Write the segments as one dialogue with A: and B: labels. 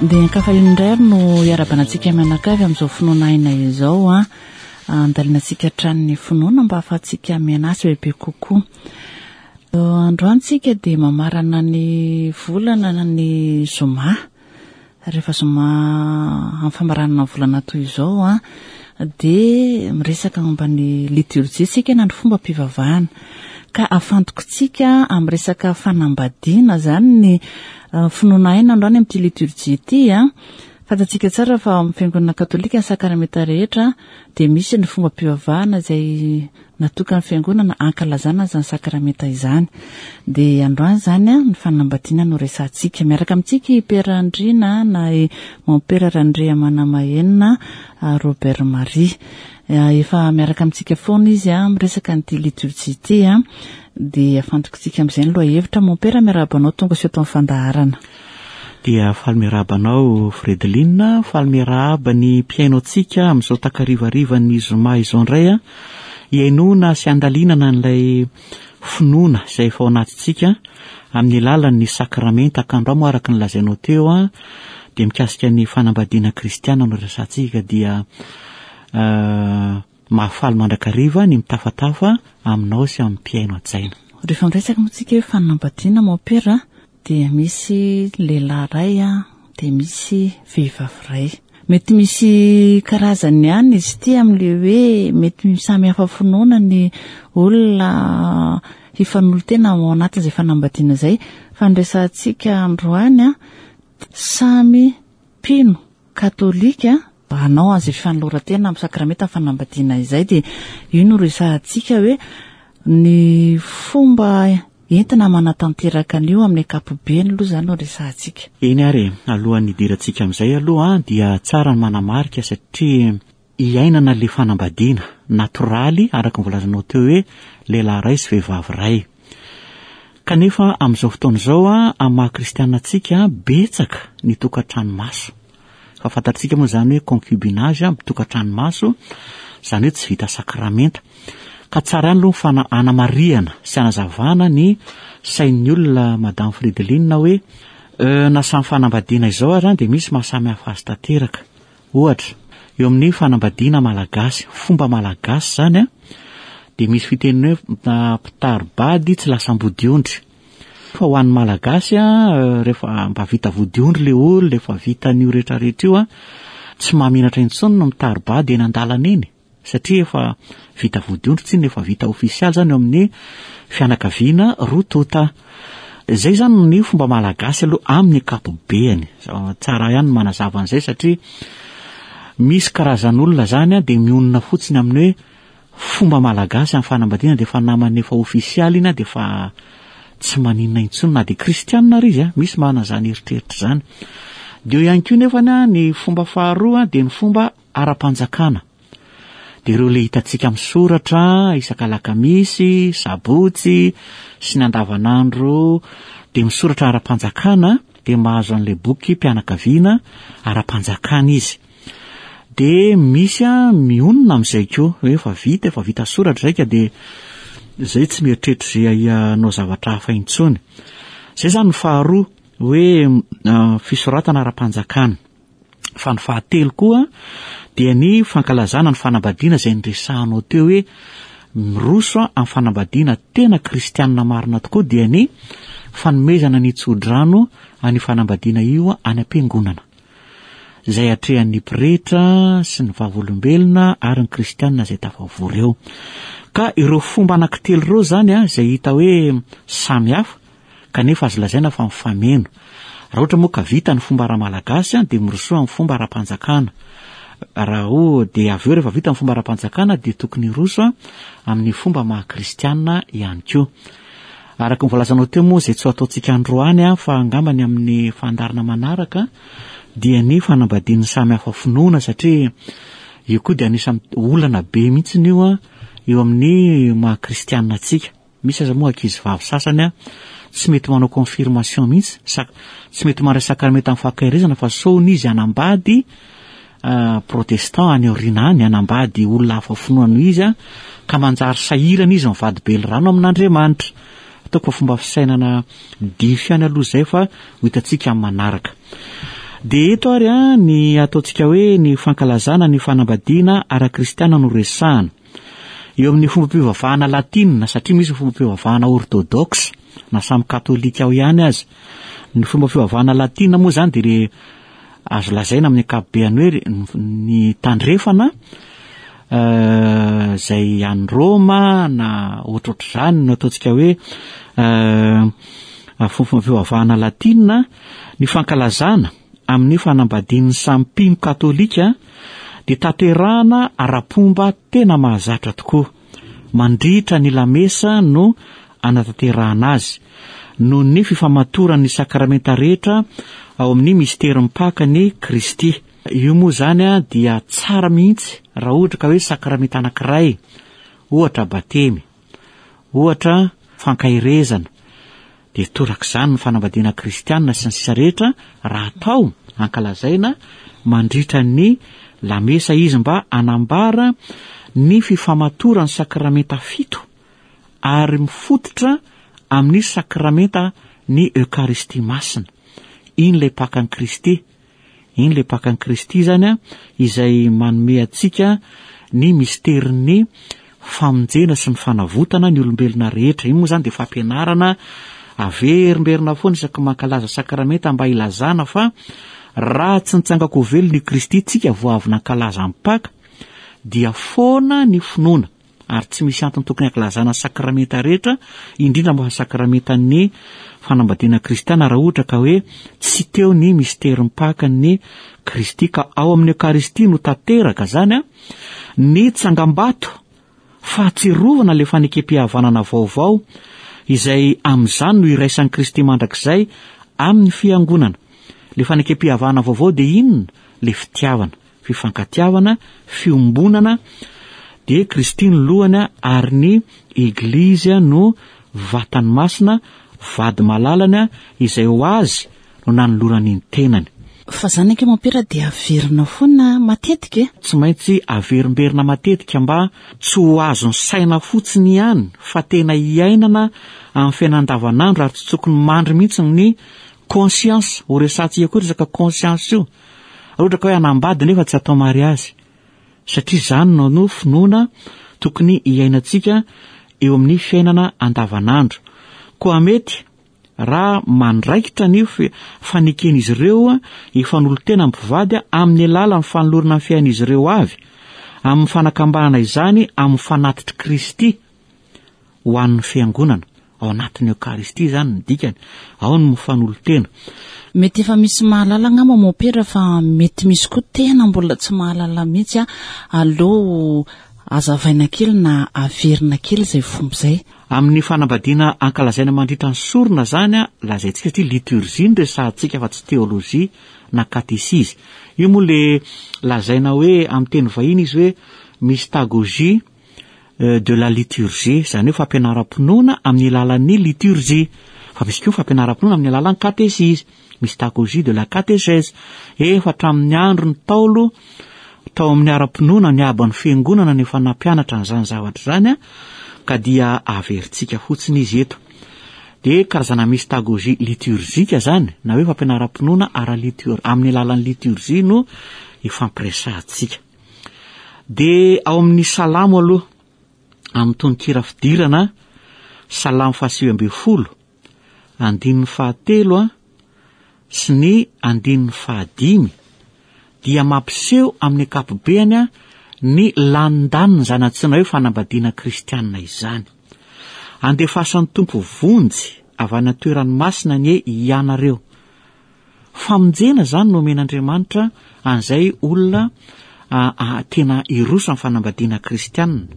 A: Dia ankafaliana indray ary no hiarabana antsika mianakavy amin'izao finoana aina izao an. Andalinantsika hatrany ny finoana mba hahafahantsika mianasa bebe kokoa. Androany tsika dia mamarana ny volana ny zoma. Rehefa zoma amin'ny famaranana ny volana toy izao an, dia miresaka momba ny liturgie tsika na ny fombam-pivavahana. Ka afantokontsika amin'ny resaka fanambadiana izany ny finoana aina androany amin'ity liturgie ity an. Fantatsika tsara fa ao amin'ny fiangonana katolika ny sakramenta rehetra dia misy ny fombam-pivavahana izay natokan'ny fiangonana hankalazana izany sakramenta izany. Dia androany izany ny fanambadiana no resahantsika. Miaraka amintsika i Pera Andriana na i Mompera Randriamanamahenina Robert Marie. Efa miaraka amintsika foana izy miresaka an'ity liturgie ity. Dia afantokontsika amin'izay ny lohahevitra. Mompera miarahaba anao tonga soa eto amin'ny fandaharana.
B: Dia faly miarahaba anao Fredeline, faly miarahaba ny mpihaino antsika amin'izao takarivarivan'ny zoma izao indray a, hihainoana sy handalinana an'ilay finoana izay efa ao anatintsika amin'ny alalan'ny sakramenta ka androany moa araka ny lazainao teo a, dia mikasika ny fanambadiana kristiana no resahantsika dia Mahafaly mandrakariva ny mitafatafa aminao sy amin'ny mpihaino hajaina.
A: Rehefa miresaka moa tsika hoe fanambadiana mompera dia misy lehilahy iray dia misy vehivavy iray. Mety misy karazany ihany izy ity amin'ilay hoe mety samy hafa finoana ny olona hifanolo-tena ao anatin'izay fanambadiana izay. Fa ny resahantsika androany samy mpino katolika hanao an'izay fanoloran-tena amin'ny sakramenta ny fanambadiana izay dia io no resahantsika hoe ny fomba entina manatanteraka an'io amin'ny ankapobeny aloha izany no resahantsika.
B: Eny ary e, alohan'ny hidirantsika amin'izay aloha dia tsara ny manamarika satria iainana ilay fanambadiana natoraly araka ny voalazanao teo hoe lehilahy iray sy vehivavy iray. Kanefa amin'izao fotoana izao amin'ny maha kristiana antsika betsaka ny tokantrano maso. Fa fantatsika moa izany hoe concubinage, tokantrano maso, izany hoe tsy vita sakramenta. Ka tsara ihany aloha ny fana anamarihana sy anazavana ny sain'ny olona Madame Frideline hoe na samy fanambadiana izao ary dia misy maha samy hafa azy tanteraka. Ohatra, eo amin'ny fanambadiana malagasy, fomba malagasy izany an, dia misy fiteniny hoe mpitari-bady tsy lasa ambodiondry. Fa ho an'ny malagasy an, rehefa mba vita vodiondry ilay olona, efa vita an'io rehetrarehetra io an, tsy mahamenatra intsony ny mitari-bady eny an-dalana eny. Satria efa vita vodiondry tsinona, efa vita ofisialy zany eo amin'ny fianakaviana roa tonta. Izay zany ny fomba malagasy aloha amin'ny ankapobeany. Tsara ihany ny manazava an'izay satria misy karazan'olona zany dia mionona fotsiny amin'ny hoe fomba malagasy amin'ny fanambadiana dia efa namany efa ofisialy iny dia efa tsy maninona intsony na dia kristianina ary izy a, misy manana izany eritreritra izany. Dia eo ihany koa nefany ny fomba faharoa dia ny fomba ara-panjakana. Dia ireo le hitantsika misoratra isaka alakamisy, sabotsy sy ny andavanandro dia misoratra ara-panjakana dia mahazo an'ilay boky mpianakaviana ara-panjakana izy. Dia misy a mionona amin'izay koa hoe efa vita, efa vita soratra izay ka dia izay tsy mieritreritra izay hanao zavatra hafa intsony. Izay izany ny faharoa hoe fisoratana ara-panjakana. Fa ny fahatelo koa dia ny fankalazana ny fanambadiana izay niresahanao teo hoe miroso amin'ny fanambadiana tena kristianina marina tokoa dia ny fanomezana ny tsodrano an'io fanambadiana io any am-piangonana izay atrehan'ny pretra sy ny vavolombelona ary ny kristianina izay tafavory eo. Ka ireo fomba anankitelo ireo izany izay hita hoe samy hafa kanefa azo lazaina fa mifameno. Raha ohatra moa ka vita ny fomba ara-malagasy dia mirosoa amin'ny fomba ara-panjakana. Raha o dia avy eo rehefa vita ny fomba ara-panjakana dia tokony hiroso amin'ny fomba maha kristiana ihany koa. Araka ny voalazanao teo moa izay tsy ho ataontsika androany fa angamba ny amin'ny fandaharana manaraka dia ny fanambadian'ny samy hafa finoana satria io koa dia anisan'ny olana be mihitsy io eo amin'ny maha kristiana antsika. Misy aza moa ankizy vavy sasany tsy mety manao confirmation mihitsy, tsy mety mandray sakramenta amin'ny fahakerezana fa sao hono izy hanambady protestant any aoriana any, hanambady olona hafa finoana noho izy ka manjary sahirana izy mivady belirano amin'Andriamanitra. Ataoko fa fomba fisainana diso ihany aloha izay fa ho hitantsika amin'ny manaraka. Dia eto ary a, ny ataontsika hoe ny fankalazana ny fanambadiana ara-kristiana no resahana. Eo amin'ny fombam-pivavahana latina, satria misy ny fombam-pivavahana orthodoxe, na samy katolika ao ihany aza. Ny fomba fivavahana latina moa izany dia re azo lazaina amin'ny ankapobeany hoe ny tandrefana izay any Roma na ohatrohatr'izany no ataontsika hoe fomba fivavahana latina, ny fankalazana amin'ny fanambadian'ny samy mpino katolika dia tanterahana ara-pomba tena mahazatra tokoa. Mandritra ny lamesa no anatanterahana azy, noho ny fifamatoran'ny sakramenta rehetra ao amin'ny misterin'ny Pakan'i Kristy. Io moa izany dia tsara mihitsy raha ohatra ka hoe sakramenta anankiray, ohatra batemy, ohatra fankaherezana, dia torak'izany ny fanambadiana kristiana sy ny sisa rehetra raha atao ankalazaina mandritra ny lamesa izy mba hanambara ny fifamatoran'ny sakramenta fito ary mifototra amin'ny sakramenta ny Eokaristia Masina. Iny ilay Pakan'i Kristy. Iny ilay Pakan'i Kristy izany an, izay manome antsika ny misterin'ny famonjena sy ny fanavotana ny olombelona rehetra. Iny moa izany dia fampianarana averimberina foana isaky ny mankalaza sakramenta mba hilazana fa raha tsy nitsangako ho velona i Kristy, tsika vao avy nankalaza ny Paka, dia foana ny finoana. Ary tsy misy antony tokony hankalazana sakramenta rehetra, indrindra moa fa sakramentan'ny fanambadiana kristiana raha ohatra ka hoe tsy teo ny misterin'ny Pakan'i Kristy. Ka ao amin'ny Eokaristia no tanteraka izany an, ny tsangambato fahatsiarovana ilay fanekem-pihavanana vaovao izay amin'izany no iraisan'i Kristy mandrakizay amin'ny Fiangonana. Ilay fanekem-pihavanana vaovao dia inona? Ilay fitiavana. fifankatiavana, fiombonana, dia Kristy no lohany ary ny Eglizy no vatany masina, vady malalany izay ho azy no nanolorany ny tenany.
A: Fa zany ange mompera dia averina foana matetika e!
B: Tsy maintsy averimberina matetika mba tsy ho azon'ny saina fotsiny ihany fa tena iainana amin'ny fiainana andavanandro ary tsy tokony mandry mihitsy ny conscience, ho resahantsika koa resaka conscience io. Raha ohatra ka hoe hanambady nefa tsy atao mariazy, satria izany no no finoana tokony hiainantsika eo amin'ny fiainana andavanandro. Koa mety raha mandraikitra ny faneken'izy ireo hifanolo-tena amin'ny mpivady amin'ny alalan'ny fanolorana ny fiainan'izy ireo avy, amin'ny fanakambanana izany amin'ny fanatitr'i Kristy. ho an'ny Fiangonana, ao anatin'ny Eokaristia izany ny dikany, ao ny mifanolo-tena.
A: Mety efa misy mahalala angamba Mompera fa mety misy koa tena mbola tsy mahalala mihitsy a, aleo azavaina kely na averina kely izay fomba izay.
B: Amin'ny fanambadiana ankalazaina mandritra ny sorona izany a, lazaintsika satria liturgie no resahantsika fa tsy teolojia na katesizy. Io moa le lazaina hoe amin'ny teny vahiny izy hoe mystagogie, de la liturgie, izany hoe fampianaram-pinoana amin'ny alalan'ny liturgie. Fa misy koa fampianaram-pinoana amin'ny alalan'ny katesizy, mystagogie de la catéchèse. Efa hatramin'ny andro ny Ntaolo tao amin'ny ara-pinoana ny haban'ny fiangonana no efa nampianatra an'izany zavatra izany, ka dia averintsika fotsiny izy eto. Dia karazana mystagogie liturgique izany, na hoe fampianaram-pinoana ara-litur-, amin'ny alalan'ny liturgie no ifampiresahantsika. Dia ao amin'ny Salamo aloha, amin'ny tononkira fidirana, Salamo fahasivy ambin'ny folo, andininy fahatelo a, sy ny andininy fahadimy, dia mampiseho amin'ny ankapobeany a, ny lanindaniny izany antsoina hoe fanambadiana kristianina izany. Andefasan'ny Tompo vonjy avy any an-toerany masina anie hianareo. Famonjena izany no omen'Andriamanitra an'izay olona tena hiroso amin'ny fanambadiana kristianina,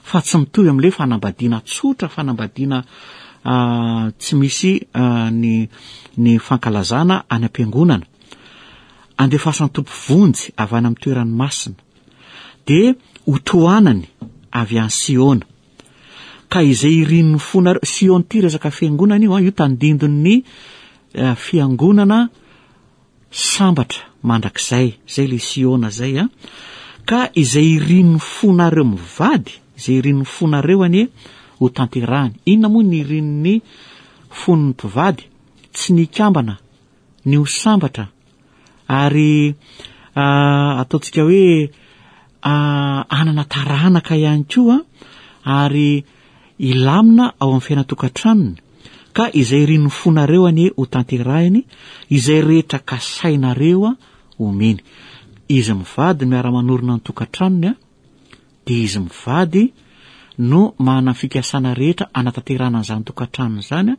B: fa tsy mitovy amin'ilay fanambadiana tsotra, fanambadiana tsy misy ny ny fankalazana any am-piangonana. Andefasan'ny Tompo vonjy avy any amin'ny toerany masina, dia hotohanany avy any Siona. Ka izay irin'ny fonareo, Siona ity resaka fiangonana io, io tandindon'ny fiangonana sambatra mandrakizay, zay le Siona zay a. Ka izay irin'ny fonareo mivady, izay irin'ny fonareo anie ho tanterahany. Inona moa ny irin'ny fon'ny mpivady? Tsy ny hikambana, ny ho sambatra. Ary ataontsika hoe hanana taranaka ihany koa ary hilamina ao amin'ny fiainan-tokantranony. Ka izay irin'ny fonareo anie ho tanterahiny, izay rehetra kasainareo homeny. Izy mivady miara-manorina ny tokantranony dia izy mivady no manana ny fikasana rehetra hanatanterahana an'izany tokantranony izany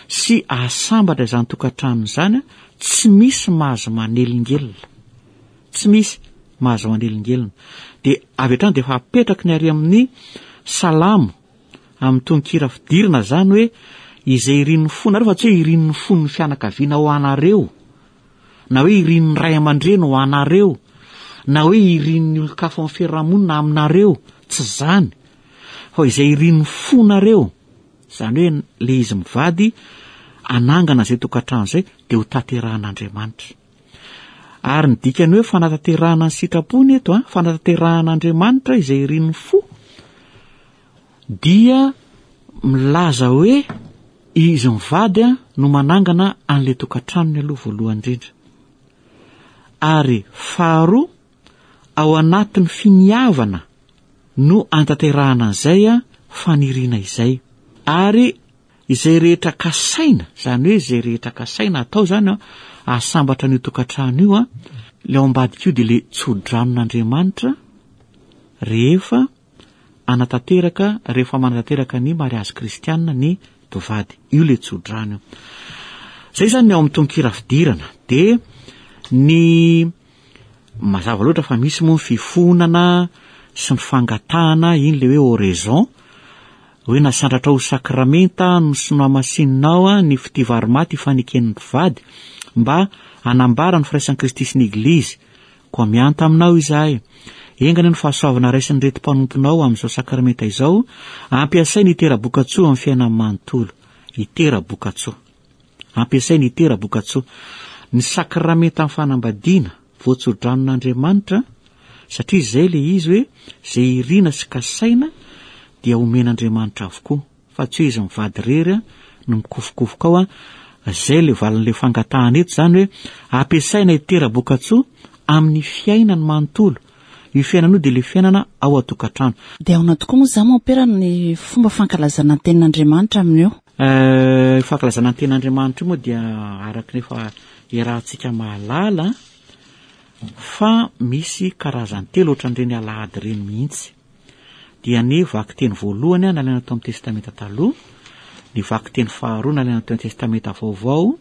B: sy hahasambatra izany tokantranony izany, tsy misy mahazo manelingelina. Tsy misy mahazo manelingelina. Dia avy hatrany dia efa apetraky ny ary amin'ny salamo, amin'ny tononkira fidirana izany hoe izay irin'ny fonareo fa tsy hoe irin'ny fon'ny fianakaviana ho anareo. na hoe irin'ny ray aman-dreny ho anareo, na hoe irin'ny olon-kafa ao amin'ny fiarahamonina aminareo, tsy izany, fa izay irin'ny fonareo, izany hoe le izy mivady hanangana izay tokantrano izay dia ho tanterahan'Andriamanitra. Ary ny dikany hoe fanatanterahana ny sitrapony eto, an, fanatanterahan'Andriamanitra izay irin'ny fo, dia milaza hoe izy mivady no manangana an'ilay tokantranony aloha voalohany indrindra. Ary faharoa, ao anatin'ny finiavana no antanterahana an'izay faniriana izay. Ary izay rehetra kasaina, izany hoe izay rehetra kasaina atao izany ahasambatra an'io tokantrano io, ilay ao ambadika io dia ilay tso-dranon'Andriamanitra rehefa hanatanteraka rehefa manatanteraka ny mariazy kristianina ny mpivady. Io le tsodrano io. Zay zany ny ao amin'ny tononkira fidirana. De ny mazava loatra fa misy moa ny fifonana sy ny fangatahana, iny le hoe oraison, hoe nasandratra ho sakramenta no sy nohamasininao ny fitia vary maty ifaneken'ny mpivady mba hanambara ny firaisan'i Kristy sy ny Eglizy. Koa mianta aminao izahay. Enga anie ny fahasoavana raisin'ireto mpanomponao amin'izao sakramenta izao, ampiasainy hitera-bokatsoa amin'ny fiainany manontolo. Hitera-bokatsoa. Ampiasainy hitera-bokatsoa. Ny sakramentan'ny fanambadiana, voatsodranon'Andriamanitra, satria izay ilay izy hoe, izay irina sy kasaina dia omen'Andriamanitra avokoa. fa tsy hoe izy mivady irery no mikofokofoka ao an, zay le valin'le fangatahana eto zany hoe ampiasaina hitera-bokatsoa amin'ny fiainany manontolo, io fiainana io dia le fiainana ao an-tokantrano.
A: Dia ahoana tokoa moa izany mompera ny fomba fankalazana ny tenin'Andriamanitra amin'io?
B: Eh, io fankalazana ny tenin'Andriamanitra io moa dia araka ny efa iarahantsika mahalala fa misy karazany telo ohatran'ireny alahady ireny mihitsy. dia ny vakiteny voalohany nalaina tao amin'ny Testamenta Taloha, ny vakiteny faharoa nalaina tao amin'ny Testamenta Vaovao,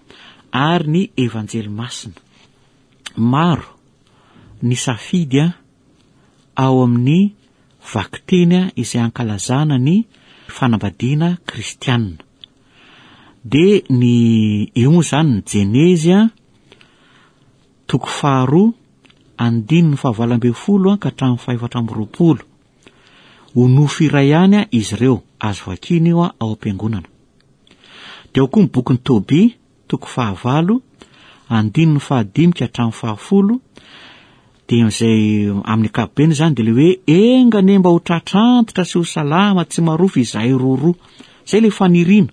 B: ary ny Evanjely Masina. Maro ny safidy ao amin'ny vakiteny izay ankalazana ny fanambadiana kristianina. Dia ny eo moa izany ny Jenezy toko faharoa andininy fahavalo ambin'ny folo ka hatramin'ny fahefatra amby roapolo. Ho nofo iray ihany izy ireo, azo vakiana io ao am-piangonana. Dia ao koa ny bokin'i Tobia, toko fahavalo, andininy fahadimy ka hatramin'ny fahafolo, dia izay amin'ny ankapobeny izany dia ilay hoe enga anie mba ho tratra antitra sy ho salama tsy marofy izahay roroa. Izay ilay faniriana.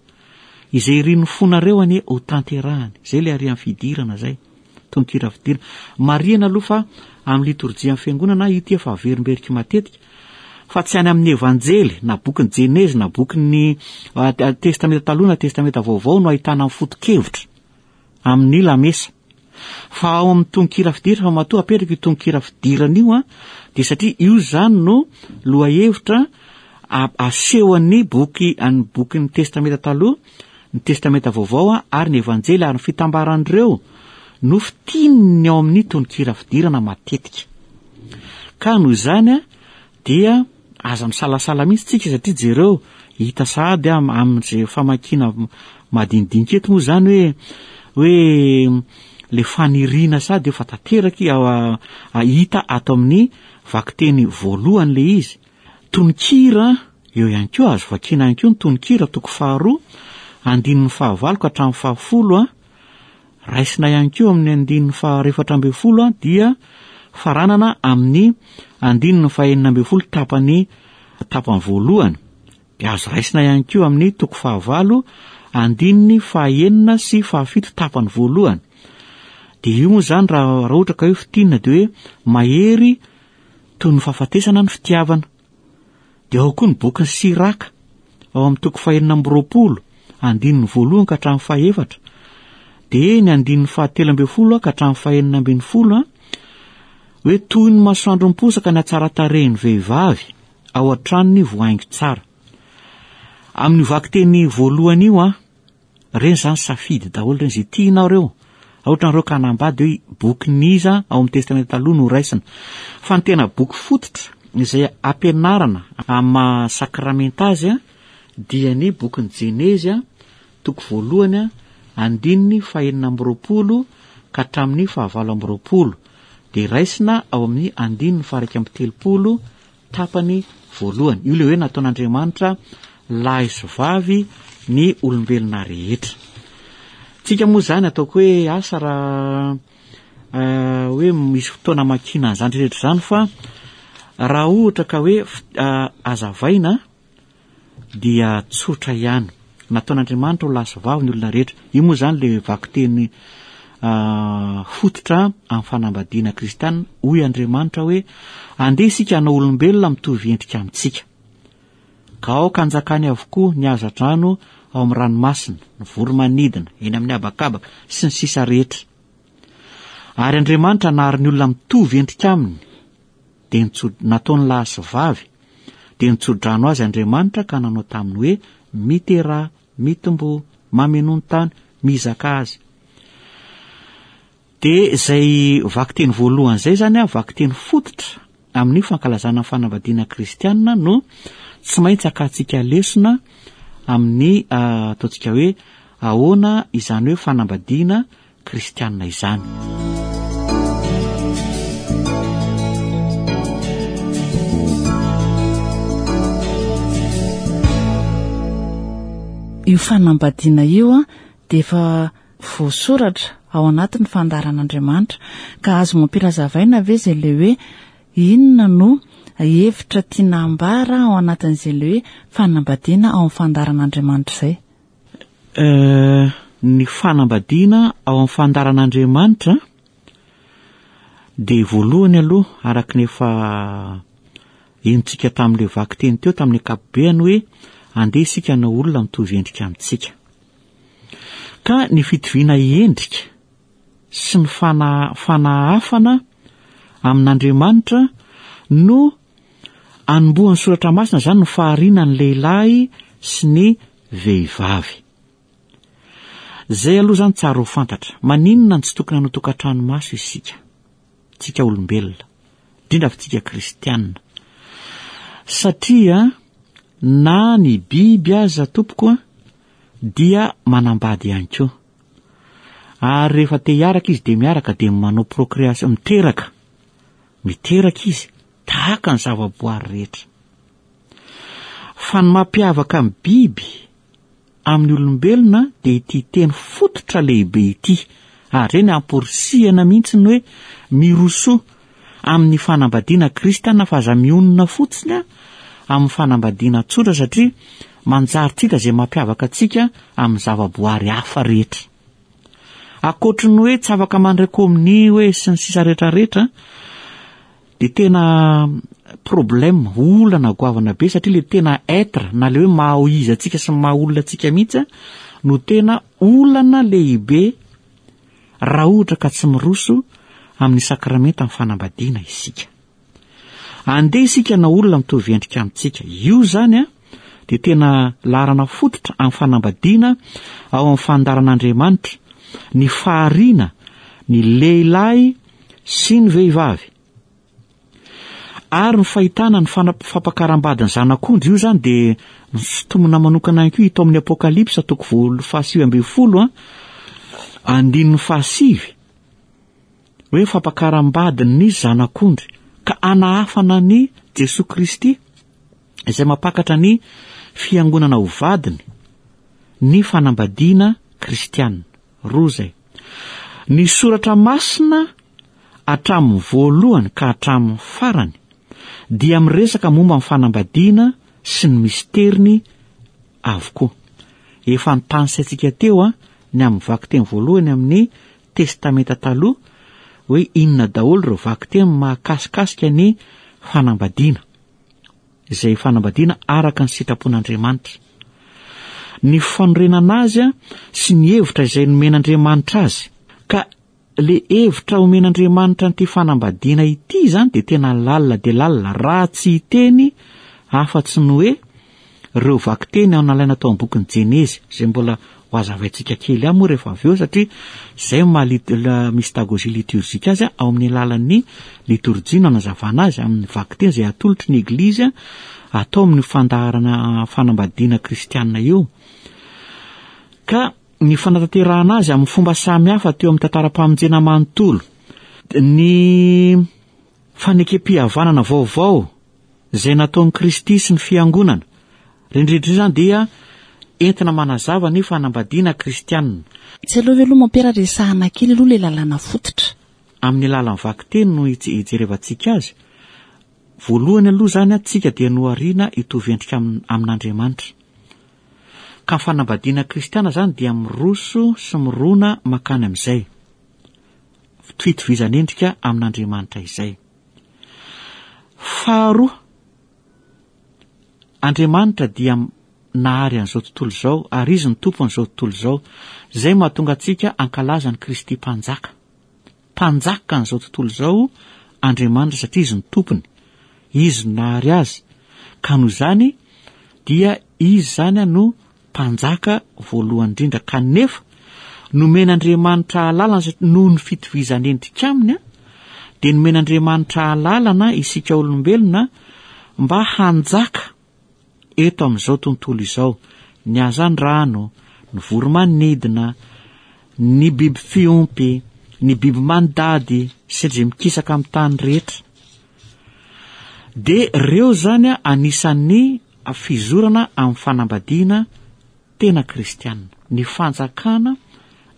B: Izay irin'ny fonareo anie ho tanterahany. Izay ilay arian'ny fidirana izay. Tononkira fidirana. Marihana aloha fa amin'ny litorjian'ny fiangonana io ity efa averimberiko matetika fa tsy any amin'ny Evanjely na bokin'ny Jenezy na bokin'ny Testamenta Taloha na Testamenta Vaovao no ahitana ny foto-kevitra amin'ny lamesa. Fa ao amin'ny tononkira fidirana, fa matoa apetraka io tononkira fidirana io an, dia satria io izany no lohahevitra asehon'ny boky an'ny bokin'ny Testamenta Taloha, ny Testamenta Vaovao ary ny Evanjely ary ny fitambaran'ireo no fintininy ao amin'ny tononkira fidirana matetika. Ka noho izany dia aza misalasala mihitsy tsika satria jereo hita sahady amin'izay famakiana madinidinika eto moa izany hoe hoe le faniriana sady efa tanteraka hita ato amin'ny vakiteny voalohany le izy. Tononkira, eo ihany koa, azo vakiana ihany koa ny tononkira toko faharoa, andininy fahavalo ka hatramin'ny fahafolo, raisina ihany koa amin'ny andininy fahaefatra ambin'ny folo dia faranana amin'ny andininy fahenina ambin'ny folo tapany tapany voalohany. Dia azo raisina ihany koa amin'ny toko fahavalo, andininy fahenina sy fahafito tapany voalohany. Dia io moa izany raha raha ohatra ka hoe fintinina dia hoe mahery toy ny fahafatesana ny fitiavana. Dia ao koa ny bokin'i Siraka, ao amin'ny toko fahenina amby roapolo, andininy voalohany ka hatramin'ny fahefatra. Dia ny andininy fahatelo ambin'ny folo ka hatramin'ny fahenina ambin'ny folo, hoe toy ny masoandro miposaka ny hatsaran-tarehin'ny vehivavy ao an-tranony voahaingo tsara. Amin'io vakiteny voalohany io, Reny zany safidy daholo reny, zay tianao reo. Ohatra nareo ka hanambady hoe bokin'iza ao amin'ny testamenta taloha no raisina. Fa ny tena boky fototra izay ampianarana amin'ny maha sakramenta azy dia ny bokin'ny Jenezy toko voalohany andininy fahenina amby roapolo ka hatramin'ny fahavalo amby roapolo dia raisina ao amin'ny andininy faha-iraika amby telopolo tapany voalohany. Io ilay hoe nataon'Andriamanitra lahy sy vavy ny olombelona rehetra. Tsika moa izany ataoko hoe asa raha eh, hoe misy fotoana amakiana an'izany rehetra izany fa raha ohatra ka hoe eh, azavaina dia tsotra ihany. Nataon'Andriamanitra ho lahy sy vavy ny olona rehetra. Io moa izany ilay vakiteny fototra amin'ny fanambadiana kristiana. Hoy Andriamanitra hoe, Andeha isika hanao olombelona mitovy endrika amintsika. Ka aoka hanjakany avokoa ny haza-drano ao amin'ny ranomasina, ny voro-manidina, eny amin'ny habakabaka, sy ny sisa rehetra. Ary Andriamanitra nahary ny olona mitovy endrika aminy, dia nitso, nataony lahy sy vavy, dia nitso-drano azy Andriamanitra ka nanao taminy hoe, Miteraha, mitomboa, mamenoa ny tany, mizakà azy. Dia izay vakiteny voalohany izay izany an, vakiteny fototra amin'ny fankalazana ny fanambadiana kristiana no tsy maintsy akantsika lesona amin'ny ataontsika hoe ahoana izany hoe fanambadiana kristiana izany.
A: Io fanambadiana io an, dia efa voasoratra ao anatin'ny fandaharan'Andriamanitra. Ka azo mampilazavaina ve izay ilay hoe inona no hevitra tiana ambara ao anatin'izay ilay hoe fanambadiana ao amin'ny fandaharan'Andriamanitra izay?
B: Eh, ny fanambadiana ao amin'ny fandaharan'Andriamanitra dia voalohany aloha araka ny efa henontsika tamin'ilay vakiteny teo tamin'ny ankapobeany hoe andeha isika hanao olona mitovy endrika amintsika. Ka ny fitoviana endrika sy ny fana, fanahafana amin'Andriamanitra no anombohan'ny soratra masina izany ny fahariana ny lehilahy sy ny vehivavy. Zay aloha zany tsara ho fantatra. Maninona no tsy tokony hanao tokantrano maso isika? Tsika olombelona. Indrindra fa tsika kristianina. Satria na ny biby aza tompoko a dia manambady ihany koa. Ary rehefa te hiaraka izy dia miaraka dia manao procréation, miteraka. Miteraka izy tahaka ny zavaboary rehetra. Fa ny mampiavaka ny biby amin'ny olombelona dia ity teny fototra lehibe ity, ary ireny amporisihana mihitsy ny hoe mirosoa amin'ny fanambadiana kristiana fa aza mionona fotsiny amin'ny fanambadiana tsotra satria manjary tsy hita izay mampiavaka antsika amin'ny zavaboary hafa rehetra. Ankoatry ny hoe tsy afaka mandray komonia hoe sy ny sisa rehetra rehetra dia tena problème, olana goavana be satria le tena être na le hoe maha izy antsika sy ny maha olona antsika mihitsy no tena olana lehibe raha ohatra ka tsy miroso amin'ny sakramenta ny fanambadiana isika. Andeha isika na olona mitovy endrika amintsika. Io izany a dia tena laharana fototra amin'ny fanambadiana ao amin'ny fandaharan'Andriamanitra, ny fahariana ny lehilahy sy ny vehivavy. Ary ny fahitana ny fampakaram-badin'ny zanak'ondry, io izany dia nosintomina manokana ihany koa hita ao amin'ny Apokalypsa toko voalohany fahasivy ambin'ny folo a, andininy fahasivy, hoe fampakaram-badin'ny zanak'ondry, ka anahafana an'i Jesoa Kristy izay mampakatra ny fiangonana ho vadiny ny fanambadiana kristiana. Roa izay. Ny soratra masina hatramin'ny voalohany ka hatramin'ny farany dia miresaka momba ny fanambadiana sy ny misteriny avokoa. Efa nitanisaintsika teo ny amin'ny vakiteny voalohany amin'ny Testamenta Taloha hoe inona daholo ireo vakiteny mahakasikasika ny fanambadiana, izay fanambadiana araka ny sitrapon'Andriamanitra. Ny fanorenana azy sy ny hevitra izay nomen'Andriamanitra azy. Ka le hevitra omen'Andriamanitra an'ity fanambadiana ity izany dia tena lalina dia lalina raha tsy hiteny afa-tsy ny hoe ireo vakiteny ao nalaina tao amin'ny bokin'ny Jenezy, izay mbola ho hazavaintsika kely ihany moa rehefa avy eo satria izay no maha mystagogie liturgique azy ao amin'ny alalan'ny litorjia no anazavana azy amin'ny vakiteny izay atolotry ny Eglizy atao amin'ny fandaharana fanambadiana kristiana io. Ka ny fanatanterahana azy amin'ny fomba samy hafa teo amin'ny tantaram-pamonjena manontolo, ny fanekem-pihavanana vaovao izay nataon'i Kristy sy ny Fiangonana. Ireny rehetra ireny izany dia entina manazava ny fanambadiana kristianina.
A: Tsy aleo ve aloha mompera resahana kely aloha ilay lalàna fototra?
B: Amin'ny alalan'ny vakiteny no hijerevantsika azy. Voalohany aloha izany tsika dia nohariana hitovy endrika amin'Andriamanitra. Ka ny fanambadiana kristiana izany dia miroso sy mirona mankany amin'izay fitovizan'endrika amin'Andriamanitra izay. Faharoa, Andriamanitra dia nahary an'izao tontolo izao ary Izy no Tompon'izao tontolo izao. Izay no mahatonga antsika hankalaza an'i Kristy Mpanjaka. Mpanjaka an'izao tontolo izao Andriamanitra satria Izy no Tompony. Izy no nahary azy. Ka noho izany dia Izy izany no Mpanjaka voalohany indrindra kanefa nomen'Andriamanitra alalana satria noho ny fitovizan'endrika aminy dia nomen'Andriamanitra alalana isika olombelona mba hanjaka eto amin'izao tontolo izao, ny hazandrano, ny voromanidina, ny biby fiompy, ny biby mandady sy izay mikisaka amin'ny tany rehetra. Dia ireo izany anisan'ny fizorana amin'ny fanambadiana tena kristiana. Ny fanjakana,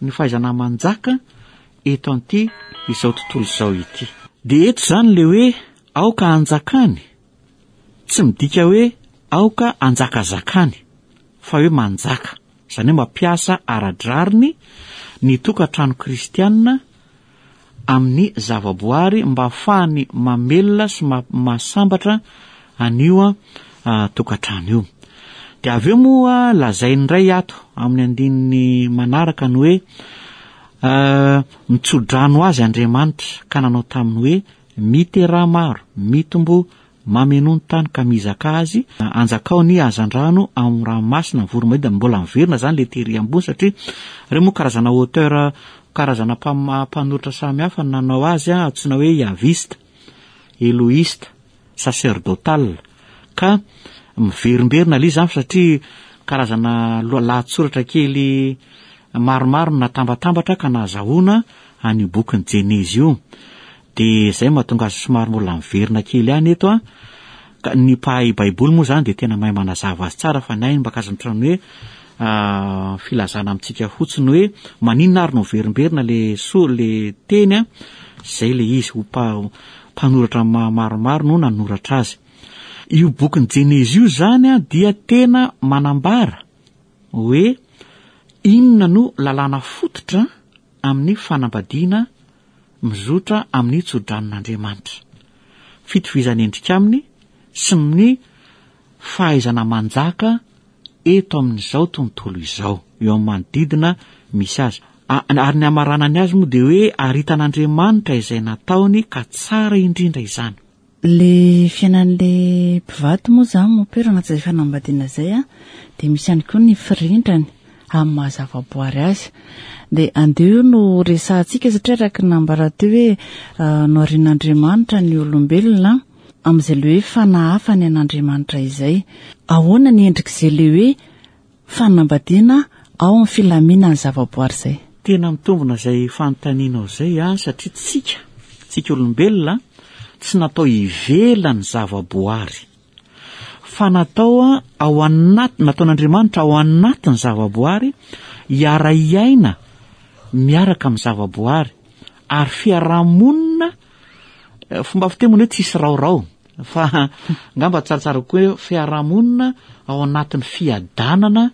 B: ny fahaizana manjaka eto an'ity izao tontolo izao ity. Dia eto izany ilay hoe aoka hanjakany, tsy midika hoe aoka hanjakazakany, fa hoe manjaka. Izany hoe mampiasa ara-drariny ny tokantrano kristiana amin'ny zavaboary mba hahafahany mamelona sy mahasambatra an'io tokantrano io. Dia avy eo moa lazainy indray ato amin'ny andininy manaraka ny hoe mitsodrano azy Andriamanitra ka nanao taminy hoe miteraha maro, mitomboa Mamenoa ny tany ka mizakà azy, anjakao ny hazandrano ao amin'ny ranomasina, ny voro-manidina, mbola miverina izany ilay tery ambony satria ireo moa karazana auteur, karazana mpanoratra samy hafa no nanao azy, antsoina hoe Yaviste, Elohiste, sacerdotal, ka miverimberina ilay izy izany satria karazana lahatsoratra kely maromaro no natambatambatra ka nahazahoana an'io bokin'ny Jenezy io. Dia izay mahatonga azy somary mbola miverina kely ihany eto an. Ka ny mpahay baiboly moa izany dia tena mahay manazava azy tsara fa ny ahy mba karazana ohatran'ny hoe filazana amintsika fotsiny hoe maninona ary no miverimberina le so le teny an, izay le izy ho mpanoratra maromaro no nanoratra azy. Io bokin'i Jenezy io izany an dia tena manambara hoe inona no lalàna fototra amin'ny fanambadiana mizotra amin'ny tsodranon'Andriamanitra. Fitovizan'endrika aminy sy ny fahaizana manjaka eto amin'izao tontolo izao, eo amin'ny manodidina misy azy. Ary ny hamaranany azy moa dia hoe ary hitan'Andriamanitra izay nataony ka tsara indrindra izany.
A: Le fiainan'le mpivady moa zany mompera anatin'izay fanambadiana zay a, dia misy ihany koa ny firindrany amin'ny maha zavaboary azy. Dia andeha io no resahantsika satria araka ny nambara teo hoe noharian'Andriamanitra ny olombelona amin'izay le hoe fanahafany an'Andriamanitra izay. Ahoana ny endrik'izay le hoe Fanambadiana ao amin'ny filaminan'ny zavaboary izay.
B: Tena mitombina izay fanontanianao izay an, satria tsika, tsika olombelona, tsy natao ivelan'ny zavaboary, fa natao ao anaty, nataon'Andriamanitra ao anatin'ny zavaboary, hiara-hiaina miaraka amin'ny zavaboary, ary fiarahamonina, fomba fiteny moa ny hoe tsisy raorao, Fa angamba tsaratsara kokoa hoe fiarahamonina ao anatin'ny fiadanana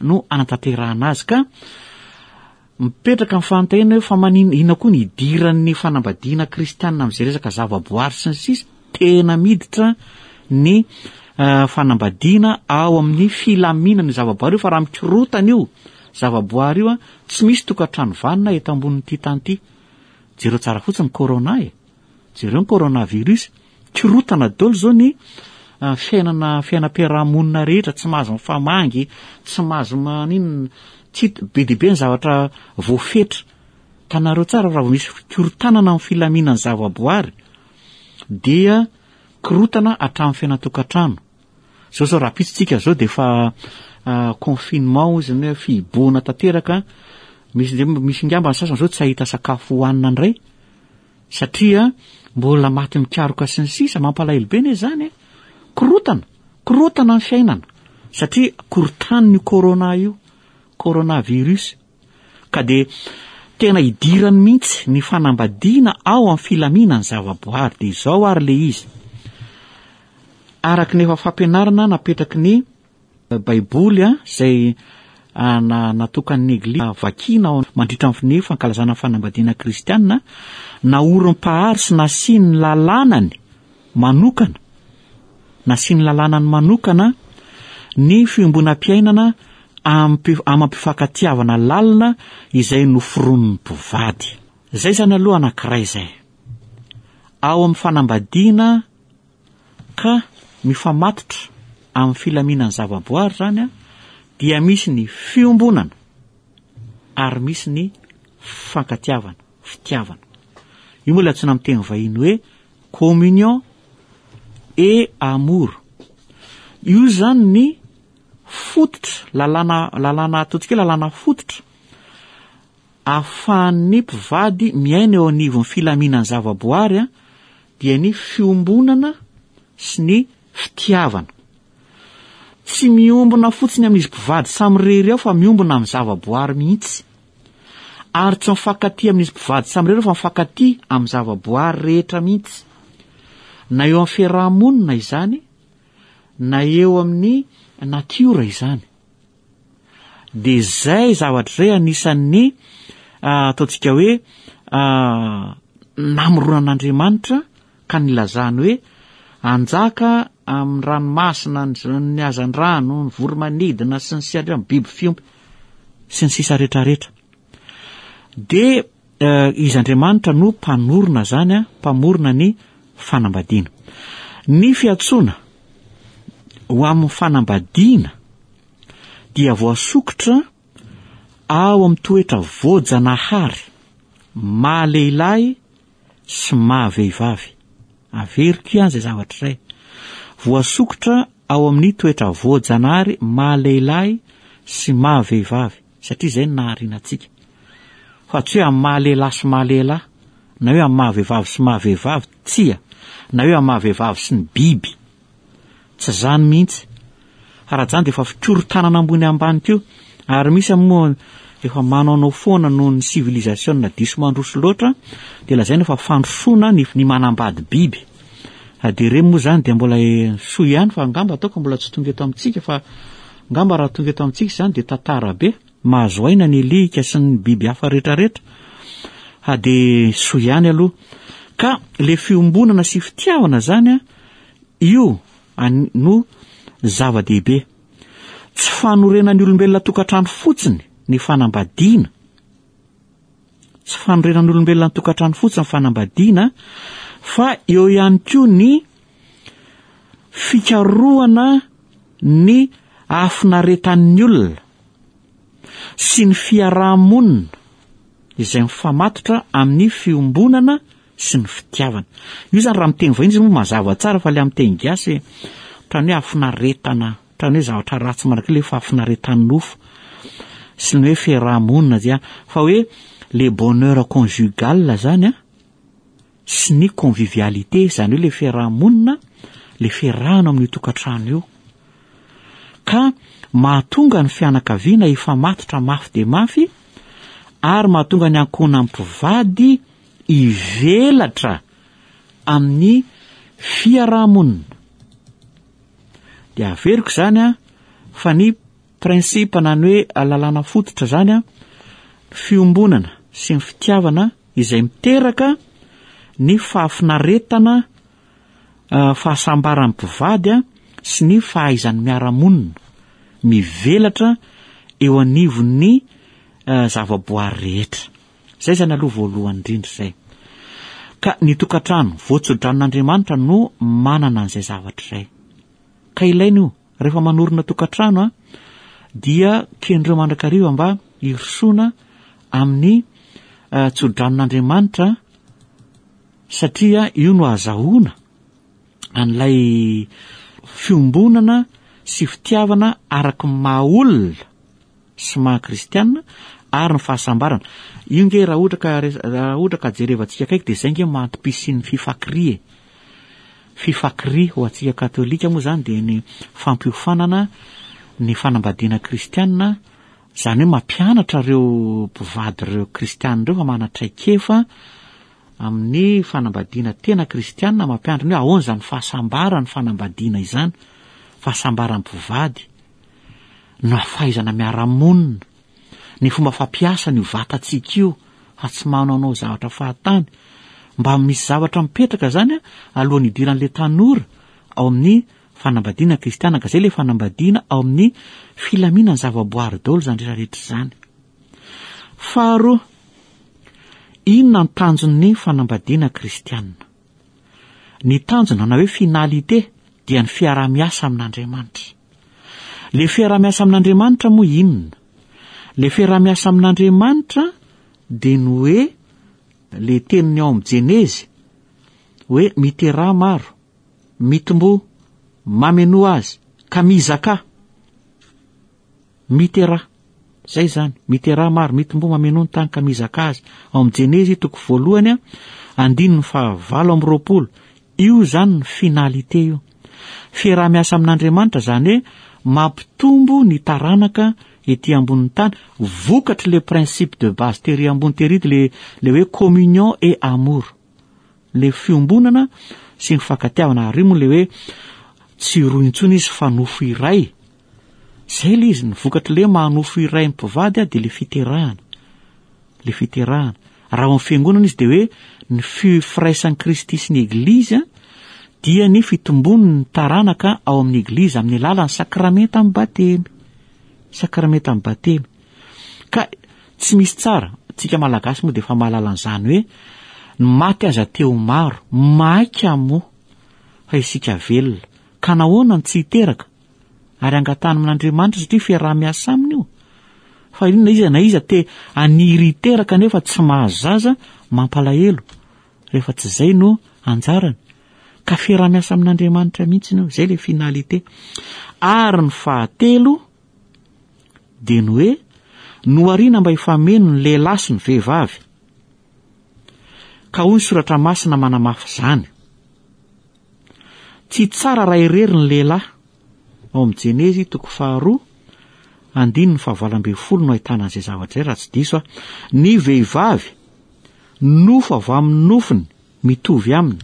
B: no anatanterahana azy ka. Mipetraka ny fanontaniana hoe fa maninona, inona koa ny idiran'ny fanambadiana kristianina amin'izay resaka zavaboary sy ny sisa? Tena miditra ny fanambadiana ao amin'ny filaminana io zavaboary io fa raha mikorotana io zavaboary io tsy misy tokantrano vanona eto ambonin'ity tany ity. Jereo tsara fotsiny ny corona e. Jereo ny coronavirus. Korotana daholo izao ny fiainana fiainam-piarahamonina rehetra, tsy mahazo mifamangy, tsy mahazo maninona, tsy be dia be ny zavatra voafetra. Hitanareo tsara raha vao misy fikorontanana amin'ny filaminan'ny zavaboary dia korotana hatramin'ny fiainan-tokantrano. Zao zao rahampitso tsika zao dia efa confinement hozy ny hoe fihibohana tanteraka, misy misy ngamba ny sasany zao tsy hahita sakafo hohanina indray. Satria mbola maty mikaroka sy ny sisa, mampalahelo be ne zany e! Korotana, korotana ny fiainana, satria korotanin'io corona io, coronavirus. Ka dia tena idirany mihitsy ny fanambadiana ao amin'ny filaminan'ny zavaboary. Dia izao ary le izy. Araka ny efa fampianarana napetraky ny Baiboly izay natokan'ny Eglizy vakiana ao mandritra ny fankalazana ny fanambadiana kristiana, naorin'ny Mpahary sy nasiany ny lalànany manokana, nasiany lalànany manokana ny fiombonam-piainana amam-pifankatiavana lalina izay noforonin'ny mpivady. Izay izany aloha anankiray izay. Ao amin'ny fanambadiana Ka mifamatotra amin'ny filaminan'ny zavaboary izany dia misy ny fiombonana ary misy ny fifankatiavana, fitiavana. Io moa ilay antsoina amin'ny teny vahiny hoe communion et amour. Io izany ny fototra, lalàna, lalàna ataontsika hoe lalàna fototra ahafahan'ny mpivady miaina eo anivon'ny filaminan'ny zavaboary dia ny fiombonana sy ny fitiavana. Tsy miombona fotsiny amin'izy mpivady samirery ao fa miombona amin'ny zavaboary mihitsy. Ary tsy mifankatia amin'izy mpivady samirery ao fa mifankatia amin'ny zavaboary rehetra mihitsy. Na eo amin'ny fiaraha-monina izany, na eo amin'ny natiora izany. Dia izay zavatra izay anisan'ny ataontsika hoe namoronan'Andriamanitra ka nilazany hoe anjaka amin'ny ranomasina, ny hazandrano, ny voromanidina sy ny sisa ny biby fiompy sy ny sisa rehetrarehetra. Dia izy Andriamanitra no mpanorina izany, mpamorona ny fanambadiana. Ny fiantsoana ho amin'ny fanambadiana dia voasokitra ao amin'ny toetra voajanahary maha lehilahy sy maha vehivavy. Averiko ihany izay zavatra izay. Voasokitra ao amin'ny toetra voajanahary maha lehilahy sy maha vehivavy, satria izay no nahariana antsika. Fa tsy hoe amin'ny maha lehilahy sy maha lehilahy, na hoe amin'ny maha vehivavy sy maha vehivavy, tsia, na hoe amin'ny maha vehivavy sy ny biby. Tsy izany mihitsy. Fa raha izany dia efa fikorontanana ambony ambany koa. Ary misy moa efa manaonao foana noho ny civilisation diso mandroso loatra dia lazaina fa fandrosoana ny ny manambady biby. Dia ireny moa izany dia mbola soa ihany fa angamba ataoko mbola tsy tonga eto amintsika fa angamba raha tonga eto amintsika izany dia tantara be. Mahazo aina ny alika sy ny biby hafa rehetrarehetra. Ha dia soa ihany aloha. Ka le fiombonana sy fitiavana izany an, Io no zava-dehibe. Tsy fanorenan'ny olombelona tokantrano fotsiny ny fanambadiana. Tsy fanorenan'ny olombelona ny tokantrano fotsiny ny fanambadiana, fa eo ihany koa ny fikarohana ny hafinaretan'ny olona sy ny fiaraha-monina izay mifamatotra amin'ny fiombonana sy ny fitiavana. Io zany raha amin'ny teny vahiny izy moa mazava tsara fa le amin'ny teny gasy ohatran'ny hoe hafinaretana, ohatran'ny hoe zavatra ratsy manak'io le fahafinaretan'ny nofo sy ny hoe fiaraha-monina dia fa hoe le bonheur conjugal zany a sy ny convivialité zany hoe le fiaraha-monina, le fiarahana amin'io tokantrano io. Ka mahatonga ny fianakaviana hifamatotra mafy dia mafy ary mahatonga ny ankohonan'ny mpivady hivelatra amin'ny fiarahamonina. Dia averiko izany an, fa ny principe na ny hoe lalàna fototra izany an, fiombonana sy ny fitiavana izay miteraka ny fahafinaretana, fahasambaran'ny mpivady sy ny fahaizany miara-monina mivelatra eo anivon'ny zavaboary rehetra. Izay izany aloha voalohany indrindra izay. Ka ny tokantrano voatsodranon'Andriamanitra no manana an'izay zavatra izay. Ka ilaina io. Rehefa manorina tokantrano a, dia kendreo mandrakariva mba hirosoana amin'ny eh, tsodranon'Andriamanitra satria io no azahoana an'ilay fiombonana sy fitiavana araka ny maha olona sy maha kristiana ary ny fahasambarana. Io nge raha ohatra ka raha ohatra ka jerevantsika akaiky dia izay nge maha-antom-pisian'ny fifakiria e. Fifakiria ho antsika katolika moa izany dia ny fampiofanana ny fanambadiana kristiana, izany hoe mampianatra ireo mpivady ireo kristiana ireo fa manana traikefa amin'ny fanambadiana tena kristiana, mampianatra ny hoe ahoana izany fahasambaran'ny fanambadiana izany, fahasambaran'ny mpivady. na fahaizana miara-monina, ny fomba fampiasana io vatantsika io fa tsy manaonao zavatra fahatany. Mba misy zavatra mipetraka zany alohan'ny hidiran'ilay tanora ao amin'ny fanambadiana kristiana, ka zay ilay fanambadiana ao amin'ny filaminan'ny zavaboary daholo izany rehetra rehetra izany. Faharoa, inona ny tanjon'ny fanambadiana kristiana? Ny tanjona na hoe finalité dia ny fiaraha-miasa amin'Andriamanitra. Le fiaraha-miasa amin'Andriamanitra moa inona? Le fiaraha-miasa amin'Andriamanitra dia ny hoe le teniny ao amin'ny Jenezy hoe miteraha maro, mitomboa, mamenoa azy, ka mizakà. Miteraha. Zay izany. Miteraha maro, mitomboa, mamenoa ny tany ka mizakà azy. Ao amin'ny Jenezy toko voalohany, andininy fahavalo amby 20. Io izany ny finalité io. Fiaraha-miasa amin'Andriamanitra izany hoe mampitombo ny taranaka ety ambonin'ny tany, vokatry le principe de base tery ambony tery le le hoe communion et amour. Le fiombonana sy ny fankatiavana ary io moa le hoe tsy roa intsony izy fa nofo iray. Zay le izy, ny vokatry le maha nofo iray ny mpivady dia le fiterahana. Le fiterahana. Raha ao amin'ny fiangonana izy dia hoe ny firaisan'i Kristy sy ny Eglizy dia ny fitombon'ny taranaka ao amin'ny Eglizy amin'ny alalan'ny sakramentan'ny batemy. Sakramentan'ny batemy. Ka tsy misy tsara, tsika Malagasy moa dia efa mahalala an'izany hoe ny maty aza te ho maro, maika moa fa isika velona. Ka nahoana no tsy hiteraka? Ary angatahana amin'Andriamanitra satria fiaraha-miasa aminy io. Fa inona iza na iza te haniry hiteraka nefa tsy mahazo zaza, mampalahelo rehefa tsy izay no anjarany. Ka fiaraha-miasa amin'Andriamanitra mihitsy io, izay ilay finalité. Ary ny fahatelo dia ny hoe nohariana mba hifameno ny lehilahy sy ny vehivavy. Ka hoy ny soratra masina manamafy izany. Tsy tsara raha irery ny lehilahy. Ao amin'ny Jenezy toko faharoa, andininy fahavalo ambin'ny folo no ahitana an'izay zavatra izay raha tsy diso aho. Ny vehivavy, nofo avy amin'ny nofony, mitovy aminy,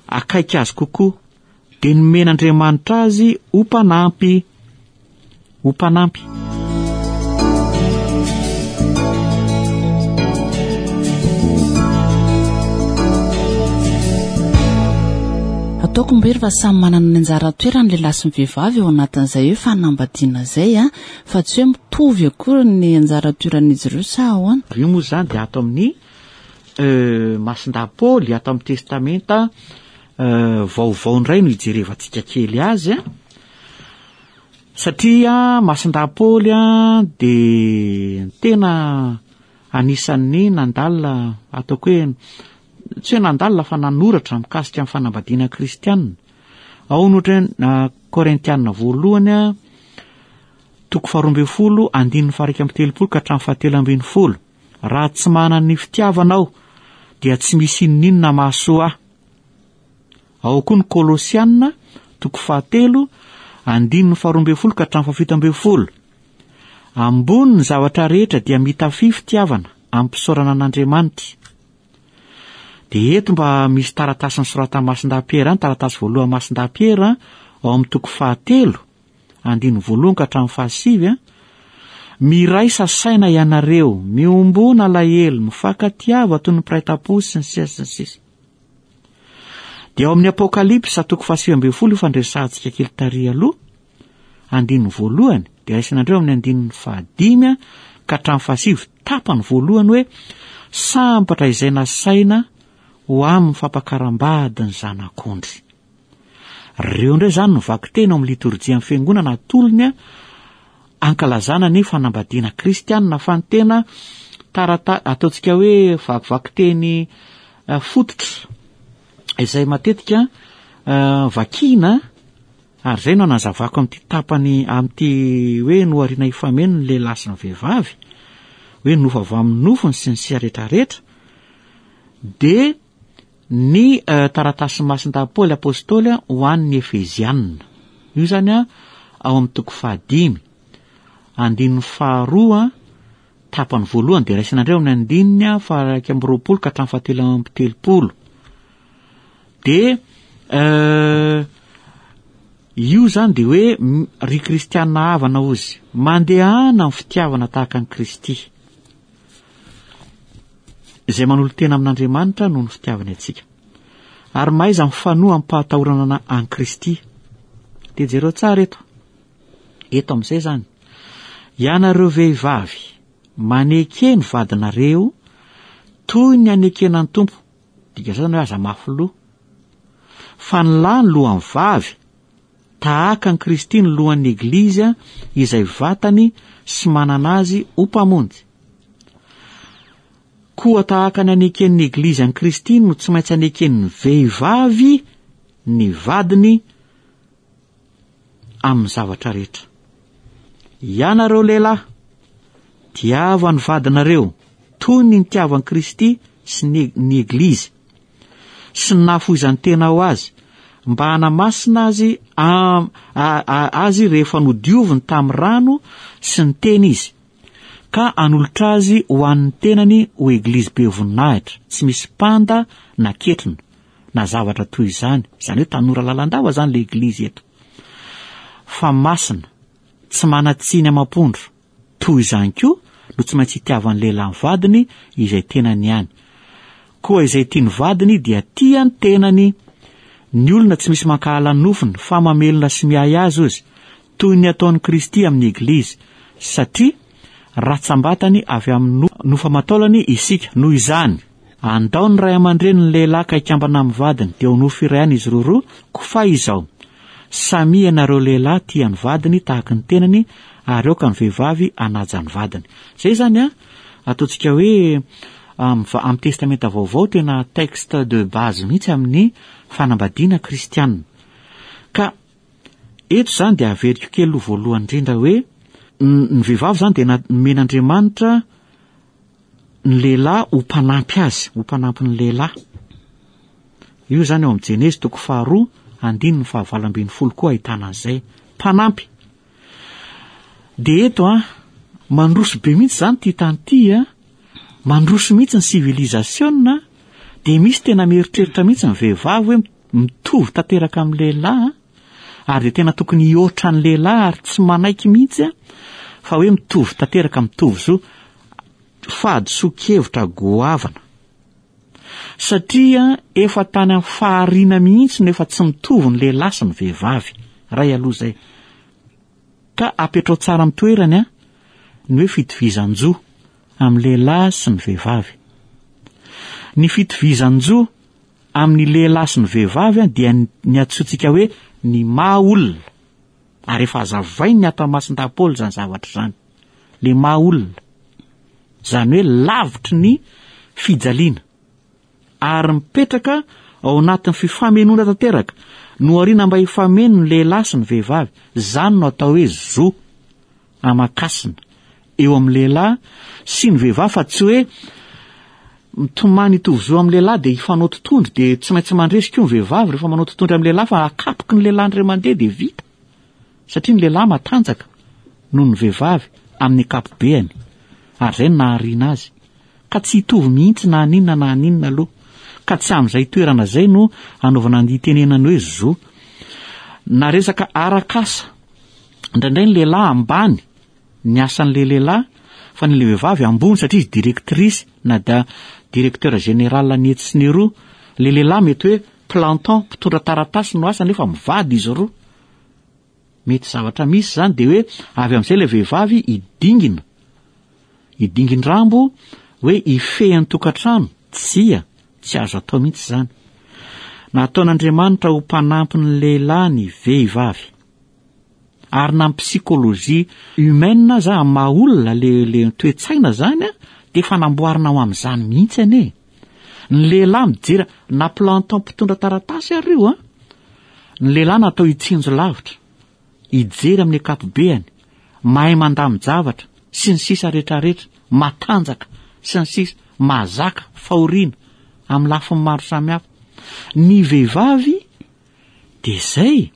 B: akaiky azy kokoa, dia nomen'Andriamanitra azy ho mpanampy. Ho mpanampy.
A: Ataoko mbery fa samy manana ny anjara toerany lehilahy sy ny vehivavy ao anatin'izay hoe fanambadiana izay a, fa tsy hoe mitovy akory ny anjara toeran'izy ireo sa ahoana?
B: Io moa izany dia ato amin'ny euh, Masindahy Paoly, ato amin'ny Testamenta euh, vaovao indray no hijerevantsika kely azy a. Satria Masindahy Paoly dia tena anisan'ny nandalina, ataoko hoe tsy hoe nandalina fa nanoratra mikasika ny fanambadiana kristianina. Ao ny ohatra hoe Korintiana voalohany toko faharoa ambin'ny folo andininy faha-iraika amby telopolo ka hatramin'ny fahatelo ambin'ny folo. Raha tsy manana ny fitiavana aho dia tsy misy inoninona mahasoa ahy. Ao koa ny Kolosiana, toko fahatelo, andininy faharoa ambin'ny folo ka hatramin'ny fahafito ambin'ny folo. Ambony ny zavatra rehetra dia mitafia fitiavana amim-pisaorana an'Andriamanitra. Dia eto mba misy taratasy nosoratan'i Masindahy Piera, ny taratasy voalohan'i Masindahy Piera, ao amin'ny toko fahatelo, andininy voalohany ka hatramin'ny fahasivy. Miraisa saina ianareo, miombona alahelo, mifankatiava toy ny mpiray tampo sy ny sisa sy ny sisa. Dia ao amin'ny Apokalypsa toko fahasivy ambin'ny folo io fandresahantsika kely tary aloha, andininy voalohany, dia raisinandreo amin'ny andininy fahadimy ka hatramin'ny fahasivy, tapany voalohany hoe sambatra izay nasaina ho amin'ny fampakaram-bady ny zanak'ondry. Ireo indray izany no vakiteny ao amin'ny litorjian'ny fiangonana atolony ankalazana ny fanambadiana kristianina fa ny tena tarata ataontsika hoe vakivakiteny eh, fototra izay matetika eh, vakiana ary izay no anazavako amin'ity tapany amin'ity hoe nohariana hifameno ny lehilahy sy ny vehivavy hoe nofo avy amin'ny nofony sy ny sia rehetrarehetra dia Ny taratasin'i Masindahy Paoly Apostoly ho an'ny Efeziana. Io izany ao amin'ny toko fahadimy, andininy faharoa, tapany voalohany, dia raisina indray ao amin'ny andininy faha-21 ka hatramin'ny faha-33. Dia io izany dia hoe ry kristiana havana hozy, mandehana amin'ny fitiavana tahaka an'i Kristy. Izay manolo-tena amin'Andriamanitra noho ny fitiavany antsika. Ary mahaiza mifanoa amim-pahatahorana an'i Kristy. Dia jereo tsara eto. Eto amin'izay izany. Ianareo vehivavy, maneke ny vadinareo toy ny anekena ny Tompo. Dika izany hoe aza mafy loha. Fa ny lahy ny lohan'ny vavy, Tahaka an'i Kristy ny lohan'ny Eglizy izay vatany sy manana azy ho Mpamonjy. Koa tahaka ny aneken'ny Eglizy an'i Kristy no tsy maintsy aneken'ny vehivavy ny vadiny amin'ny zavatra rehetra. Ianareo lehilahy, tiava ny vadinareo toy ny nitiavan'i Kristy sy ny ny Eglizy. sy ny nahafoizany-tena ho azy, mba hanamasina azy azy rehefa nodioviny tamin'ny rano sy ny teny izy, ka hanolotra azy ho an'ny tenany ho eglizy be voninahitra, tsy misy mpanda na ketrina, na zavatra toy izany, izany hoe tanora lalandava izany ilay eglizy eto, fa masina, tsy manan-tsiny amam-pondro. Toy izany koa no tsy maintsy itiavan'ny lehilahy ny vadiny izay tenany ihany. Koa izay tia ny vadiny dia tia ny tenany. Ny olona tsy misy mankahala ny nofony fa mamelona sy miahy azy ozy, toy ny ataon'i Kristy amin'ny Eglizy, satria ratsambatany avy amin'ny nofo aman-taolany isika. Noho izany, andao ny ray aman-dreny ny lehilahy ka hikambana amin'ny vadiny, dia ho nofo iray ihany izy roroa, koa fa izao, Samia ianareo lehilahy tia ny vadiny tahaky ny tenany ary aoka ny vehivavy hanaja ny vadiny. Izay izany an, ataontsika hoe amin'ny Testamenta Vaovao tena texte de base mihitsy amin'ny fanambadiana kristiana. Ka eto izany dia averiko kely aloha voalohany indrindra hoe ny vehivavy izany dia nomen'Andriamanitra ny lehilahy ho mpanampy azy, ho mpanampy ny lehilahy. Io izany ao amin'ny Jenezy toko faharoa andininy fahavalo ambin'ny folo koa ahitana an'izay. Mpanampy. Dia eto an, mandroso be mihitsy izany ity tany ity an, mandroso mihitsy ny civilisation dia misy tena mieritreritra mihitsy ny vehivavy hoe mitovy tanteraka amin'ny lehilahy an, ary dia tena tokony hihoatra ny lehilahy ary tsy manaiky mihitsy an, fa hoe mitovy tanteraka mitovy zo. Fahadisoan-kevitra goavana. Satria efa tany amin'ny fahariana mihitsy no efa tsy mitovy ny lehilahy sy ny vehivavy. Ray aloha izay. Ka apetrao tsara amin'ny toerany an, ny hoe fitovizan-jo amin'ny lehilahy sy ny vehivavy. Ny fitovizan-jo amin'ny lehilahy sy ny vehivavy an, dia ny antsointsika hoe ny maha olona. Ary efa hazavain'ny ato amin'ny Masindahy Paoly izany zavatra izany. Le maha olona. Izany hoe lavitry ny fijaliana. Ary mipetraka ao anatin'ny fifamenoana tanteraka. Nohariana mba hifameno ny lehilahy sy ny vehivavy. Izany no atao hoe zo aman-kasina eo amin'ny lehilahy sy ny vehivavy fa tsy hoe mitomany hitovy zo amin'ny lehilahy dia hifanao tontondry dia tsy maintsy mandresy koa ny vehivavy rehefa manao tontondry amin'ny lehilahy fa akapoky ny lehilahy indray mandeha dia vita. Satria ny lehilahy matanjaka noho ny vehivavy amin'ny ankapobeany ary izay no nahariana azy. Ka tsy hitovy mihitsy na haninona na haninona aloha. Ka tsy amin'izay toerana izay no hanaovana ny hitenenany hoe zo. Na resaka arak'asa, indraindray ny lehilahy ambany. ny asan'ilay lehilahy fa ny ilay vehivavy ambony satria izy directrice na da directeur général ny etsy sy ny eroa. Ilay lehilahy mety hoe planton, mpitondra taratasy no asany nefa mivady izy roa. Mety zavatra misy izany dia hoe avy amin'izay ilay vehivavy hidingina. Hidingin-drambo hoe hifehy ny tokantrano. Tsia, tsy azo atao mihitsy izany. Nataon'Andriamanitra ho mpanampy ny lehilahy ny vehivavy. Ary na ny psychologie humaine aza amin'ny maha olona le le toe-tsaina izany dia efa namboarina ho amin'izany mihitsy anie. Ny lehilahy mijery na planton mpitondra taratasy ary io an. Ny lehilahy natao hitsinjo lavitra, hijery amin'ny ankapobeany, mahay mandamin-javatra, sy ny sisa rehetrarehetra, matanjaka, sy ny sisa, mahazaka fahoriana amin'ny lafiny maro samihafa. Ny vehivavy dia izay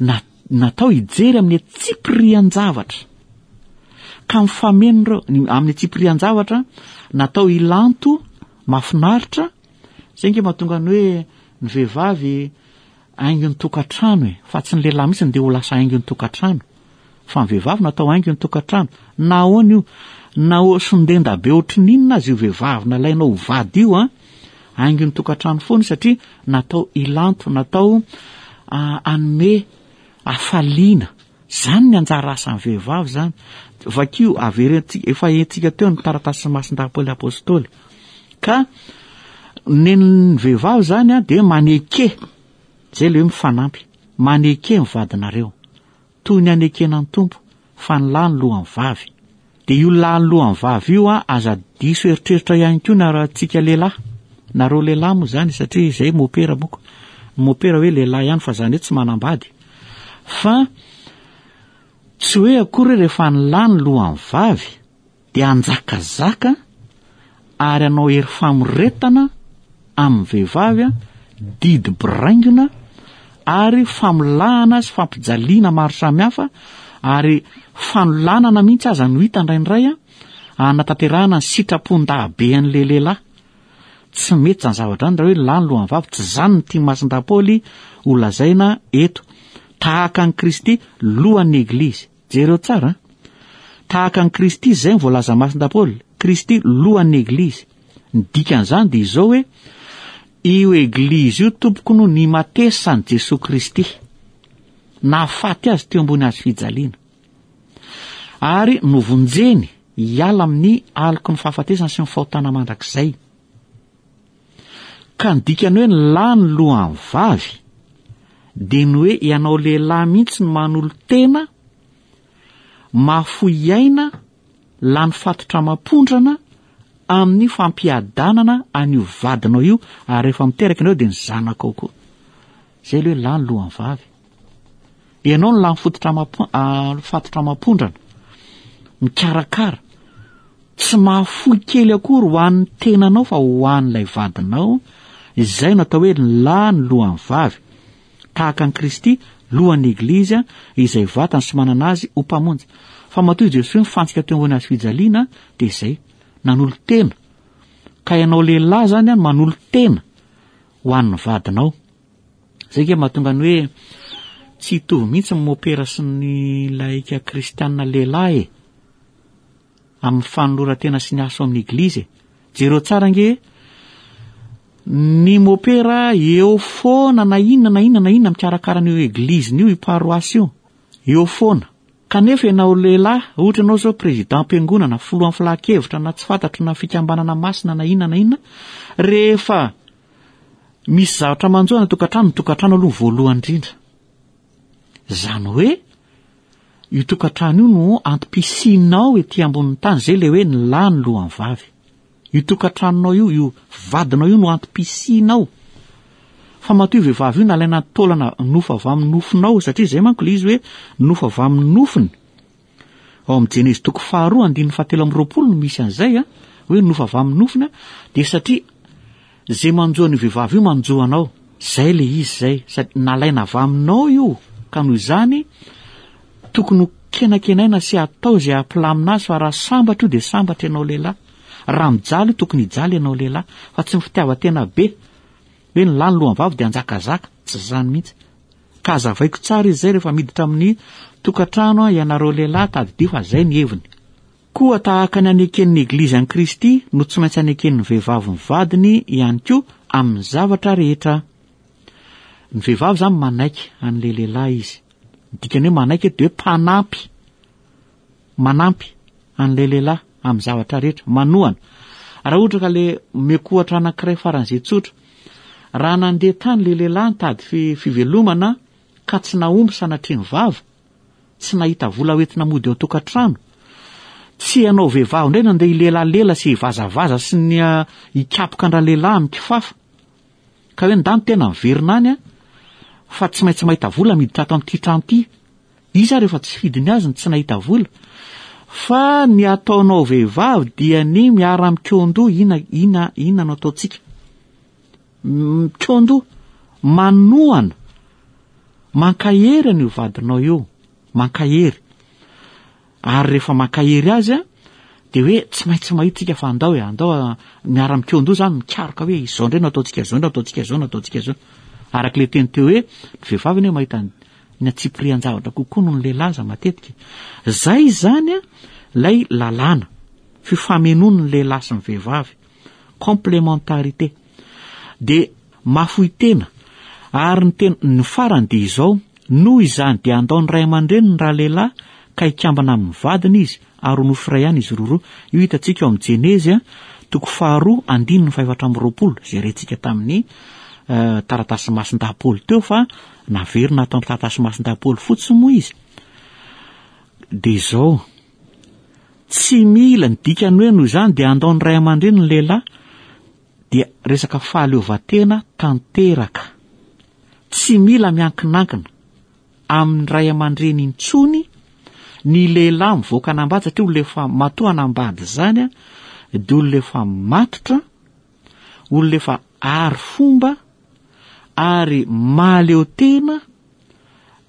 B: na, natao hijery amin'ny antsipirian-javatra. Ka mifameno ireo, amin'ny antsipirian-javatra, natao hilanto mahafinaritra, izay nge mahatonga ny hoe ny vehivavy haingon'ny tokantrano e, fa tsy ny lehilahy mihitsy no dia ho lasa haingon'ny tokantrano. Fa ny vehivavy natao haingon'ny tokantrano. Na ahoana io, na ho sondenda be ohatry ny inona aza io vehivavy nalainao ho vady io an, haingon'ny tokantrano foana io satria natao hilanto, natao hanome hafaliana. Izany ny anjara asan'ny vehivavy izany. Vakio, averentsika, efa hentsika teo ny taratasin'i Masindahy Paoly Apostoly. Ka nen'ny vehivavy izany an, dia maneke, izay ilay hoe mifanampy, maneke ny vadinareo. Toy ny anekena ny Tompo, fa ny lahy ny lohan'ny vavy. Dia io lahy ny lohan'ny vavy io an, aza diso eritreritra ihany koa na antsika lehilahy. Nareo lehilahy moa izany, satria izay mopera moko. Ny mopera hoe lehilahy ihany, fa izany hoe tsy manambady. Fa tsy hoe akory hoe rehefa ny lahy ny lohan'ny vavy, dia hanjakazaka ary hanao hery famoretana amin'ny vehivavy, didy biraingona ary famolahana sy fampijaliana maro samihafa ary fanolanana mihitsy aza no hita indraindray hanatanterahana ny sitrapon-dahabean'ilay lehilahy. Tsy mety izany zavatra izany raha hoe lahy ny lohan'ny vavy, tsy izany no tian'i Masindahy Paoly ho lazaina eto. Tahaka an'i Kristy lohan'ny Eglizy. Jereo tsara an! Tahaka an'i Kristy izay ny voalaza Masindahy Paoly, Kristy lohan'ny Eglizy. Ny dikan'izany dia izao hoe, io Eglizy io tompoko no nimatesan'i Jesoa Kristy. Nahafaty azy teo ambony hazo fijaliana. Ary novonjeny hiala amin'ny aloky ny fahafatesana sy ny fahotana mandrakizay. Ka ny dikany hoe ny lahy ny lohan'ny vavy dia ny hoe ianao lehilahy mihitsy no manolo-tena, mahafoy aina, lany fatotra amam-pondrana amin'ny fampiadanana an'io vadinao io ary rehefa miteraka ianao dia ny zanakao koa. Izay ilay hoe lahy ny lohan'ny vavy. Ianao no lany fototra amam- fatotra amam-pondrana, mikarakara, Tsy mahafoy kely akory ho an'ny tenanao fa ho an'ilay vadinao, izay no atao hoe ny lahy ny lohan'ny vavy, tahaka an'i Kristy lohan'ny Eglizy izay vatany sy manana azy ho Mpamonjy. Fa matoa i Jesoa nifantsika teo ambony hazo fijaliana dia izay, nanolo-tena. Ka ianao lehilahy izany an manolo-tena ho an'ny vadinao. Izay nge mahatonga ny hoe tsy hitovy mihitsy ny mopera sy ny laika kristiana lehilahy e. amin'ny fanoloran-tena sy ny asa ao amin'ny eglizy e. Jereo tsara ange ny mopera eo foana na inona na inona na inona mikarakara an'io egliziny io, io paroasy io. Eo foana. Kanefa ianao lehilahy, ohatra ianao izao prezidam-piangonana, filohan'ny filan-kevitra na tsy fantatro na fikambanana masina na inona na inona, rehefa misy zavatra manjo any an-tokantrano, ny tokantrano aloha voalohany indrindra. Izany hoe io tokantrano io no antom-pisianao ety ambonin'ny tany, izay ilay hoe ny lahy ny lohan'ny vavy. Io tokantranonao io, io vadinao io no antom-pisianao. Fa matoa io vehivavy io nalaina taolana nofo avy amin'ny nofonao, satria izay manko ilay izy hoe nofo avy amin'ny nofony. Ao amin'ny Jenezy toko faharoa andininy fahatelo amby roapolo no misy an'izay a, hoe nofo avy amin'ny nofony a, dia satria izay manjo an'io vehivavy io manjo anao. Izay ilay izy izay, sady nalaina avy aminao io, ka noho izany tokony ho kenakenaina sy atao izay hampilamina azy fa raha sambatra io dia sambatra ianao lehilahy. Raha mijaly io tokony hijaly ianao lehilahy, fa tsy ny fitiavan-tena be hoe ny lahy ny lohan'ny vavy dia hanjakazaka, tsy izany mihitsy. Ka hazavaiko tsara izy izay rehefa miditra amin'ny tokantrano ianareo lehilahy, tadidio fa izay ny heviny. Koa tahaka ny aneken'ny Eglizy an'i Kristy no tsy maintsy aneken'ny vehivavy ny vadiny ihany koa amin'ny zavatra rehetra. Ny vehivavy izany manaiky an'ilay lehilahy izy. Ny dikany hoe manaiky eto dia hoe mpanampy. Manampy an'ilay lehilahy amin'ny zavatra rehetra, manohana. Raha ohatra ka le omeko ohatra anankiray faran'izay tsotra, raha nandeha tany ilay lehilahy nitady fivelomana ka tsy nahomby sanatria ny vava, tsy nahita vola hoentina mody ao an-tokantrano. Tsy ianao vehivavy indray no andeha hilelalela sy hivazavaza sy ny ah, hikapoka an-dralehilahy amin'ny kifafa. Ka hoe ndany tena miverina any ah, fa tsy maintsy mahita vola miditra ato amin'ity trano ity. Iza ary efa tsy fidiny azy ny tsy nahita vola. Fa ny ataonao vehivavy dia ny miara-mikaondoha ina ina ina no ataontsika. Mikaondoha, manohana, mankahery an'io vadinao io, mankahery. Ary rehefa mankahery azy a, dia hoe tsy maintsy mahita tsika fa andao e, andao miara-mikaondoha zany, mikaroka hoe izao indray no ataontsika, izao no ataontsika, izao no ataontsika, izao. Araka ilay teny teo hoe ny vehivavy anie mahita ny antsipirian-javatra kokoa noho ny lehilahy aza matetika. Zay izany a, ilay lalàna, fifamenoan'ny lehilahy sy ny vehivavy. Complémentarité. Dia mahafoy tena. Ary ny tena, ny farany dia izao, noho izany dia handao ny ray aman-dreniny ralehilahy ka hikambana amin'ny vadiny izy ary ho nofo iray ihany izy roroa. Io hitantsika ao amin'ny Jenezy toko faharoa andininy faha-24 izay rentsika tamin'ny eh, taratasy masindahy Paoly teo fa naverina ato amin'ny taratasy masindahy Paoly fotsiny moa izy. Dia izao, Tsy mila, ny dikany hoe noho izany dia handao ny ray aman-dreny ny lehilahy dia resaka fahaleovantena tanteraka. Tsy mila miankinankina amin'ny ray aman-dreny intsony ny lehilahy mivoaka hanambady satria olona efa matoa hanambady izany dia olona efa matotra, olona efa ary fomba ary mahaleo tena,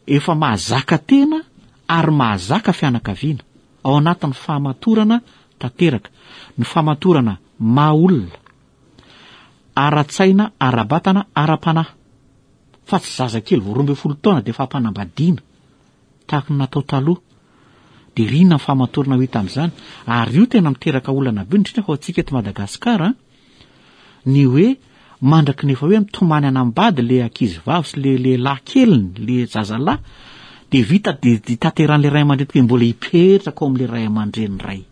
B: efa mahazaka tena ary mahazaka fianakaviana ao anatin'ny fahamatorana tanteraka, ny fahamatorana maha olona, ara-tsaina, ara-batana, ara-panahy, fa tsy zazakely vao 12 taona dia efa ampanambadiana tahaka ny natao taloha. Dia ry inona ny fahamatorana ho hita amin'izany? Ary io tena miteraka olana be, indrindra fa ho antsika eto Madagasikara, ny hoe mandraky ny efa hoe mitomany hanambady le ankizy vavy sy le lehilahy keliny, le zazalahy, dia vita dia tanterahan'le ray aman-dreny tokoa mbola hipetraka ao amin'le ray aman-dreny ray.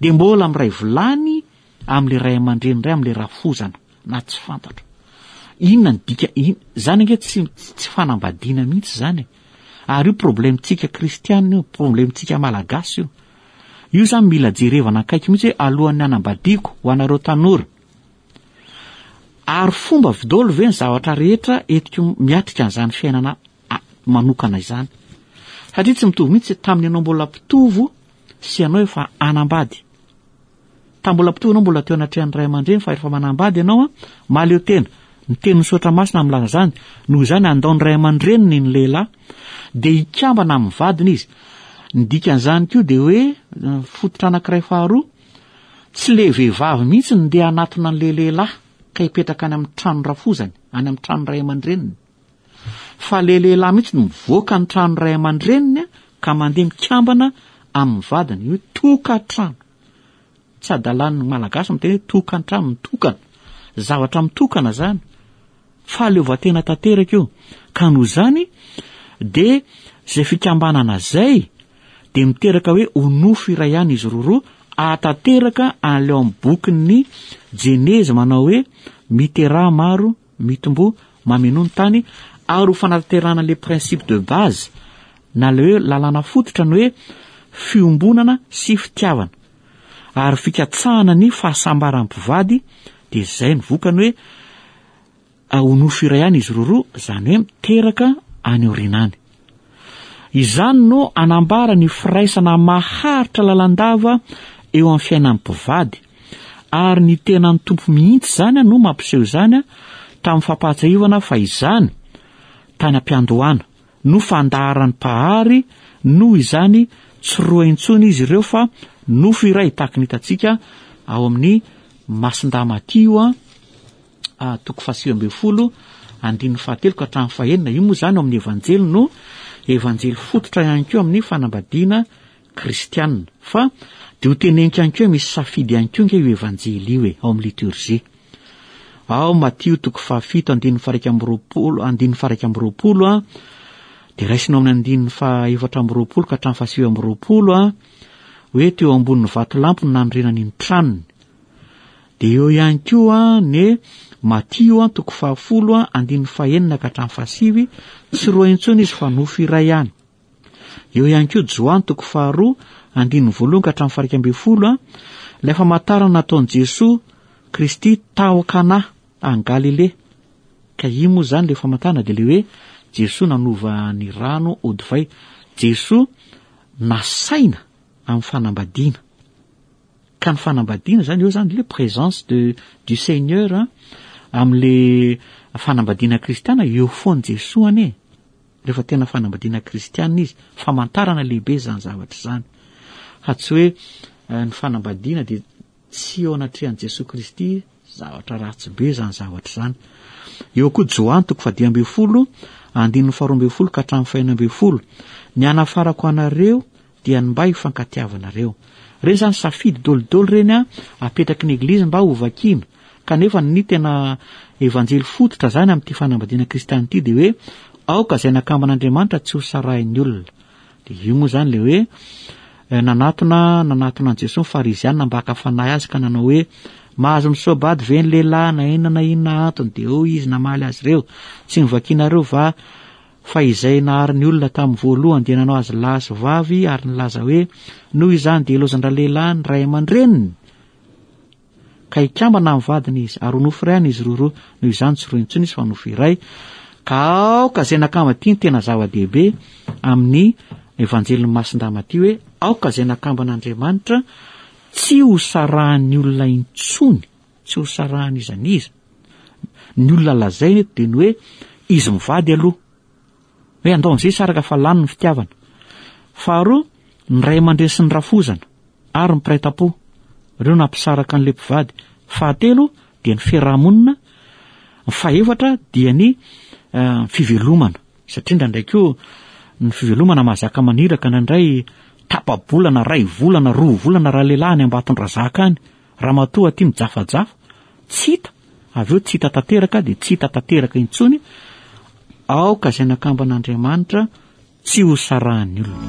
B: Dia mbola miray vilany amin'le ray aman-dreny ray amin'le rafozana na tsy fantatro. Inona ny dika in, zany ange tsy tsy fanambadiana mihitsy zany e. Ary io problème-tsika kristianina io, problème-tsika malagasy io. Io zany mila jerevana akaiky mihitsy hoe alohan'ny hanambadiako ho anareo tanora. Ary fomba vdolo ve ny zavatra rehetra entiko miatrika an'izany fiainana manokana izany. Satria tsy mitovy mihitsy tamin'ny ianao mbola mpitovo sy ianao efa hanambady. Tamin'ny mbola mpitovo ianao mbola teo anatrehan'ny ray aman-dreny fa rehefa manambady ianao mahaleo tena. Ny tenin'ny soratra masina milaza izany. Noho izany handao ny ray aman-dreniny ny lehilahy dia hikambana amin'ny vadiny izy. Ny dikan'izany koa dia hoe fototra anankiray faharoa, tsy le vehivavy mihitsy no ndeha hanatona an'ilay lehilahy ka hipetraka any amin'ny trano rafozany, any amin'ny trano ray aman-dreniny. Fa le lehilahy mihitsy no mivoaka ny trano ray aman-dreniny ka mandeha mikambana amin'ny vadiny, io tokantrano. Tsy adalan'ny Malagasy miteny hoe tokantrano, mitokana. Zavatra mitokana zany. Fahaleovantena tanteraka io. Ka noho izany dia izay fikambanana izay dia miteraka hoe ho nofo iray ihany izy roroa ahatanteraka an'ilay ao amin'ny bokin'ny Jenezy manao hoe miteraha maro, mitomboa, mamenoa ny tany ary ho fanatanterahana ilay principe de base na ilay hoe lalàna fototra ny hoe fiombonana sy fitiavana ary fikatsahana ny fahasambaran'ny mpivady dia izay ny vokany hoe ho nofo iray ihany izy roroa, izany hoe miteraka any aoriana any. Izany no anambara ny firaisana maharitra lalandava eo amin'ny fiainan'ny mpivady, ary ny tenan'ny Tompo mihitsy izany no mampiseho izany tamin'ny fampahatsiahivana fa izany, tany am-piandohana, no fandaharan'ny Mpahary, noho izany tsy roa intsony izy ireo fa nofo iray, tahaka ny hitantsika ao amin'ny Masindahy Matio toko fahasivy ambin'ny folo andininy fahatelo ka hatramin'ny fahenina. Io moa izany ao amin'ny Evanjely no Evanjely fototra ihany koa amin'ny fanambadiana kristiana. Fa dia ho teneniko ihany koa hoe misy safidy ihany koa ange io Evanjely io e, ao amin'ny liturgie. Ao Matio toko fahafito andininy faha-iraika amby roapolo, andininy faha-iraika amby roapolo a, dia raisina ao amin'ny andininy faha-efatra amby roapolo ka hatramin'ny fahasivy amby roapolo a, hoe teo ambonin'ny vatolampy no nanorenany ny tranony. Dia eo ihany koa ny Matio toko fahafolo andininy fahenina ka hatramin'ny fahasivy, tsy roa intsony izy fa nofo iray ihany. Eo ihany koa Joany toko faharoa andininy voalohany ka hatramin'ny faha-iraika ambin'ny folo, ilay famantarana nataon'i Jesoa Kristy tao Kana any Galilea. Ka io moa izany ilay famantarana dia ilay hoe Jesoa nanova ny rano ho divay. Jesoa nasaina amin'ny fanambadiana. Ka ny fanambadiana izany, eo izany le présence de du Seigneur amin'le fanambadiana kristiana, eo foana Jesoa anie. Rehefa tena fanambadiana kristiana izy, famantarana lehibe izany zavatra izany. Fa tsy hoe eh, ny fanambadiana dia tsy eo anatrehan'i Jesoa Kristy, zavatra ratsy be izany zavatra izany. Eo koa Joany toko fahadimy ambin'ny folo, andininy faharoa ambin'ny folo ka hatramin'ny fahenina ambin'ny folo. Ny anafarako anareo dia ny mba hifankatiavanareo. Ireny izany safidy dolidoly ireny an, apetraky ny Eglizy mba hovakiana. Kanefa ny tena Evanjely fototra izany amin'ity fanambadiana kristiana ity dia hoe aoka izay nakamban'Andriamanitra tsy ho sarahin'ny olona. Dia io moa izany ilay hoe eh, nanatona nanatona an'i Jesoa ny Fariziana mba haka fanahy azy ka nanao hoe mahazo misoa-bady ve ny lehilahy na inona na inona antony? Dia hoy izy namaly azy ireo, tsy novakianareo va Fa izay nahary ny olona tamin'ny voalohany dia nanao azy lahy sy vavy ary nilaza hoe, Noho izany dia ilaozan-dralehilahy ny ray aman-dreniny, ka hikambana amin'ny vadiny izy, ary ho nofo iray izy roroa. Noho izany tsy roa intsony izy fa nofo iray. Ka aoka izay nakamba ity no tena zava-dehibe amin'ny Evanjelin'i Masindahy Matio hoe, aoka izay nakamban'Andriamanitra tsy ho sarahan'ny olona intsony. Tsy ho sarahan'iza n'iza. Ny olona lazaina eto dia ny hoe izy mivady aloha. Hoe andao amin'izay hisaraka fa lany ny fitiavana. Faharoa, ny ray aman-dreny sy ny rafozana ary ny mpiray tampo. Ireo nampisaraka an'ilay mpivady. Fahatelo dia ny fiarahamonina. Ny fahefatra dia ny eh, fivelomana. Satria indraindray koa ny fivelomana mahazaka maniraka indraindray tapa-bolana, ray volana, roa volana raha lehilahy any Ambatondrazaka any. Ramatoa aty mijafajafa, tsy hita, avy eo tsy hita tanteraka dia tsy hita tanteraka intsony, aoka izay nakamban'Andriamanitra tsy ho sarahan'ny olona.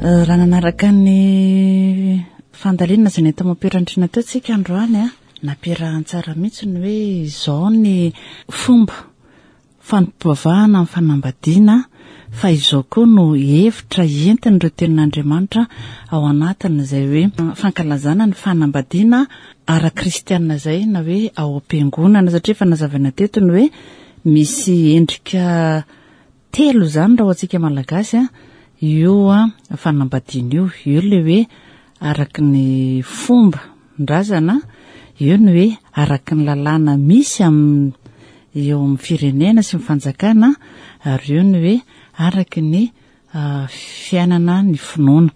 A: Eh, raha nanaraka ny fandalinana izay nentiny mampirantrina teo tsika androany a nampiarahany tsara mihitsy ny hoe izao ny fomba fanompoavahana amin'ny fanambadiana fa izao koa no hevitra entin'ireo tenin'Andriamanitra ao anatin'izay hoe fankalazana ny fanambadiana ara-kristianina izay na hoe ao am-piangonana satria efa nazavaina teto ny hoe misy endrika telo izany raha ho antsika malagasy a io a fanambadiana io io ilay hoe araka ny fomba ndrazana, eo ny hoe araka ny lalàna misy amin'ny eo amin'ny firenena sy ny fanjakana ary eo ny hoe araka ny fiainana ny finoana.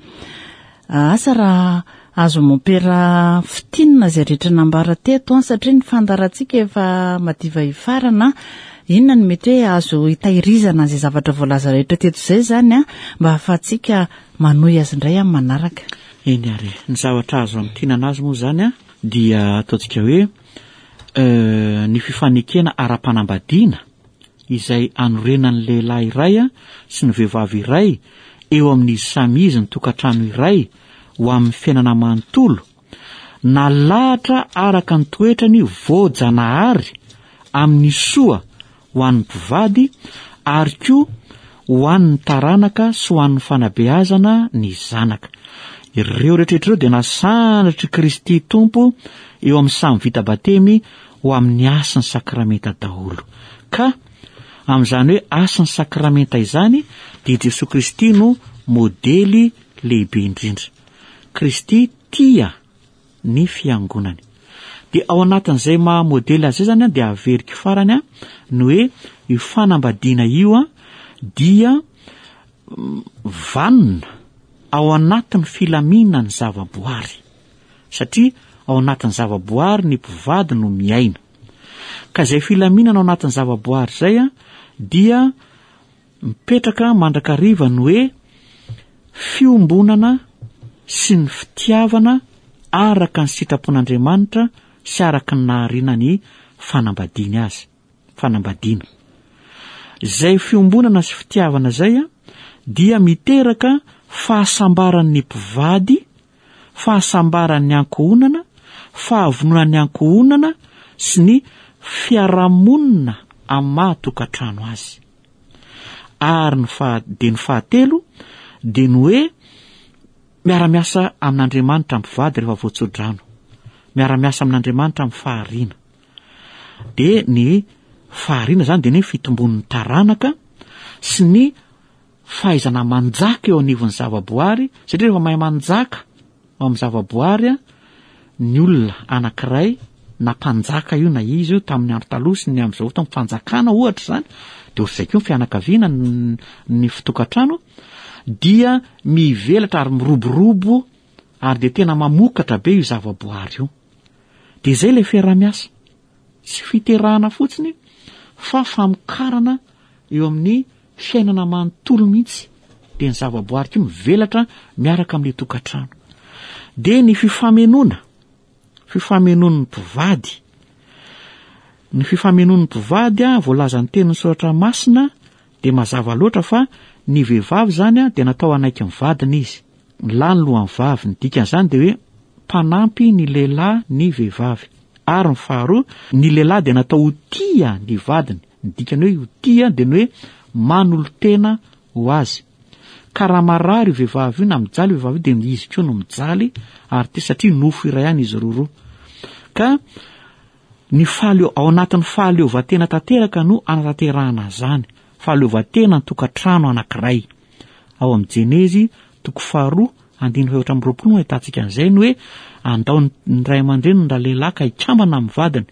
A: Asa raha azo mompera fintinina izay rehetra nambara teto an, satria ny fandaharantsika efa madiva hifarana. Inona no mety hoe azo hitahirizana izay zavatra voalaza rehetra teto izay izany an, mba hahafahantsika manohy azy indray amin'ny manaraka.
B: Eny ary e. Ny zavatra azo amintinana azy moa izany dia ataontsika hoe ny fifanekena ara-panambadiana izay anorenan'ny lehilahy iray sy ny vehivavy iray eo amin'izy samy izy ny tokantrano iray ho amin'ny fiainana manontolo, nalahatra araka ny toetrany voajanahary amin'ny soa ho an'ny mpivady ary koa ho an'ny taranaka sy ho an'ny fanabeazana ny zanaka. Ireo rehetra ireo dia nasandratr'i Kristy Tompo eo amin'ny samy vita batemy ho amin'ny hasin'ny sakramenta daholo. Ka amin'izany hoe hasin'ny sakramenta izany dia Jesoa Kristy no modely lehibe indrindra. Kristy tia ny fiangonany. Dia ao anatin'izay maha modely azy izay zany dia averiko farany ny hoe io fanambadiana io dia vanona. ao anatin'ny filaminan'ny zavaboary. Satria ao anatin'ny zavaboary ny mpivady no miaina. Ka izay filaminana ao anatin'ny zavaboary izay dia mipetraka mandrakariva ny hoe fiombonana sy ny fitiavana araka ny sitrapon'Andriamanitra sy araka ny nahariana ny fanambadiany azy, fanambadiana. Izay fiombonana sy fitiavana izay dia miteraka fahasambaran'ny mpivady, fahasambaran'ny ankohonana, fahavononan'ny ankohonana sy ny fiarahamonina amin'ny maha tokantrano azy. Ary ny faha, dia ny fahatelo dia ny hoe miara-miasa amin'Andriamanitra mpivady rehefa voatsodrano. Miara-miasa amin'Andriamanitra amin'ny fahariana. Dia ny fahariana izany dia ny fitombon'ny taranaka sy ny fahaizana manjaka eo anivon'ny zavaboary, satria rehefa mahay manjaka ao amin'ny zavaboary ny olona anankiray na mpanjaka io na izy io tamin'ny andro taloha sy ny amin'izao fotoana fanjakana ohatra izany dia ohatr'izay koa ny fianakaviana ny fitokantrano dia mivelatra ary miroborobo ary dia tena mamokatra be io zavaboary io dia izay ilay fiaraha-miasa Tsy fiterahana fotsiny fa famokarana eo amin'ny fiainana manontolo mihitsy. Dia ny zavaboary koa mivelatra miaraka amin'ilay tokantrano. Dia ny fifamenoana, fifamenoan'ny mpivady. Ny fifamenoan'ny mpivady voalazan'ny tenin'ny soratra masina dia mazava loatra fa ny vehivavy izany dia natao hanaiky ny vadiny izy. Ny lahy ny lohan'ny vavy. Ny dikan'izany dia hoe mpanampy ny lehilahy ny vehivavy. Ary ny faharoa, ny lehilahy dia natao ho tia ny vadiny. Ny dikany hoe ho tia dia ny hoe manolo-tena ho azy. Ka raha marary io vehivavy io na mijaly io vehivavy io dia izy koa no mijaly ary tia satria nofo iray ihany izy roroa. Ka ny fahaleo, ao anatin'ny fahaleovantena tanteraka no anatanterahana izany. Fahaleovantena an-tokantrano anankiray. Ao amin'ny Jenezy toko faharoa andininy fahefatra amby roapolo no ahitantsika an'izay ny hoe andao ny ray aman-dreniny ralehilahy ka hikambana amin'ny vadiny.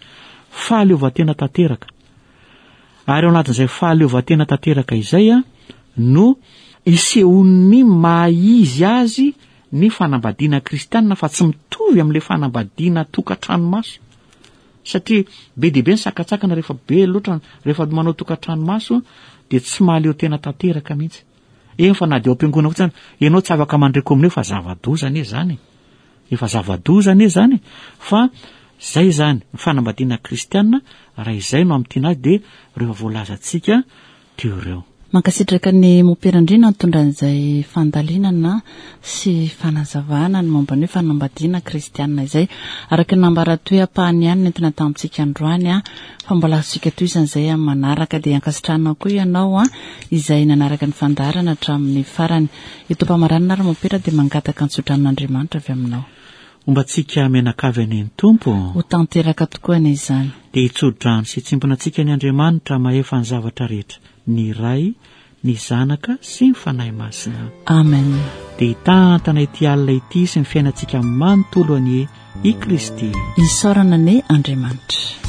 B: Fahaleovantena tanteraka. Ary ao anatin'izay fahaleovantena tanteraka izay no isehoan'ny maha izy azy ny fanambadiana kristianina fa tsy mitovy amin'ilay fanambadiana tokantrano maso. Satria be dia be ny sakantsakana rehefa be loatra rehefa manao tokantrano maso dia tsy mahaleo tena tanteraka mihitsy. Eny fa na dia ao am-piangonana fotsiny ianao tsy afaka mandre kominio fa zava-doza anie izany e. Efa zava-doza anie izany e. Fa zay izany ny fanambadiana kristiana raha izay no amintiana azy dia ireo voalazantsika teo ireo.
A: Mankasitraka ny Mompera Andriana nitondra an'izay fandalinana sy fanazavana ny momba ny hoe fanambadiana kristiana izay. Araka ny nambara toy ampahany ihany nentina tamintsika androany fa mbola azontsika tohizana izay amin'ny manaraka dia ankasitrahana koa ianao izay nanaraka ny fandaharana hatramin'ny farany. Eto am-pamaranana ary Mompera dia mangataka ny tsodranon'Andriamanitra avy aminao.
B: Homba antsika mianakavy anie ny Tompo.
A: Ho tanteraka tokoa anie izany.
B: Dia hitso-drano sy hitsimbina antsika ny Andriamanitra mahefa ny zavatra rehetra, ny Ray, ny Zanaka sy ny Fanahy Masina.
A: Amen.
B: Dia hitantana ity alina ity sy ny fiainantsika manontolo anie i Kristy.
A: Isaorana anie Andriamanitra.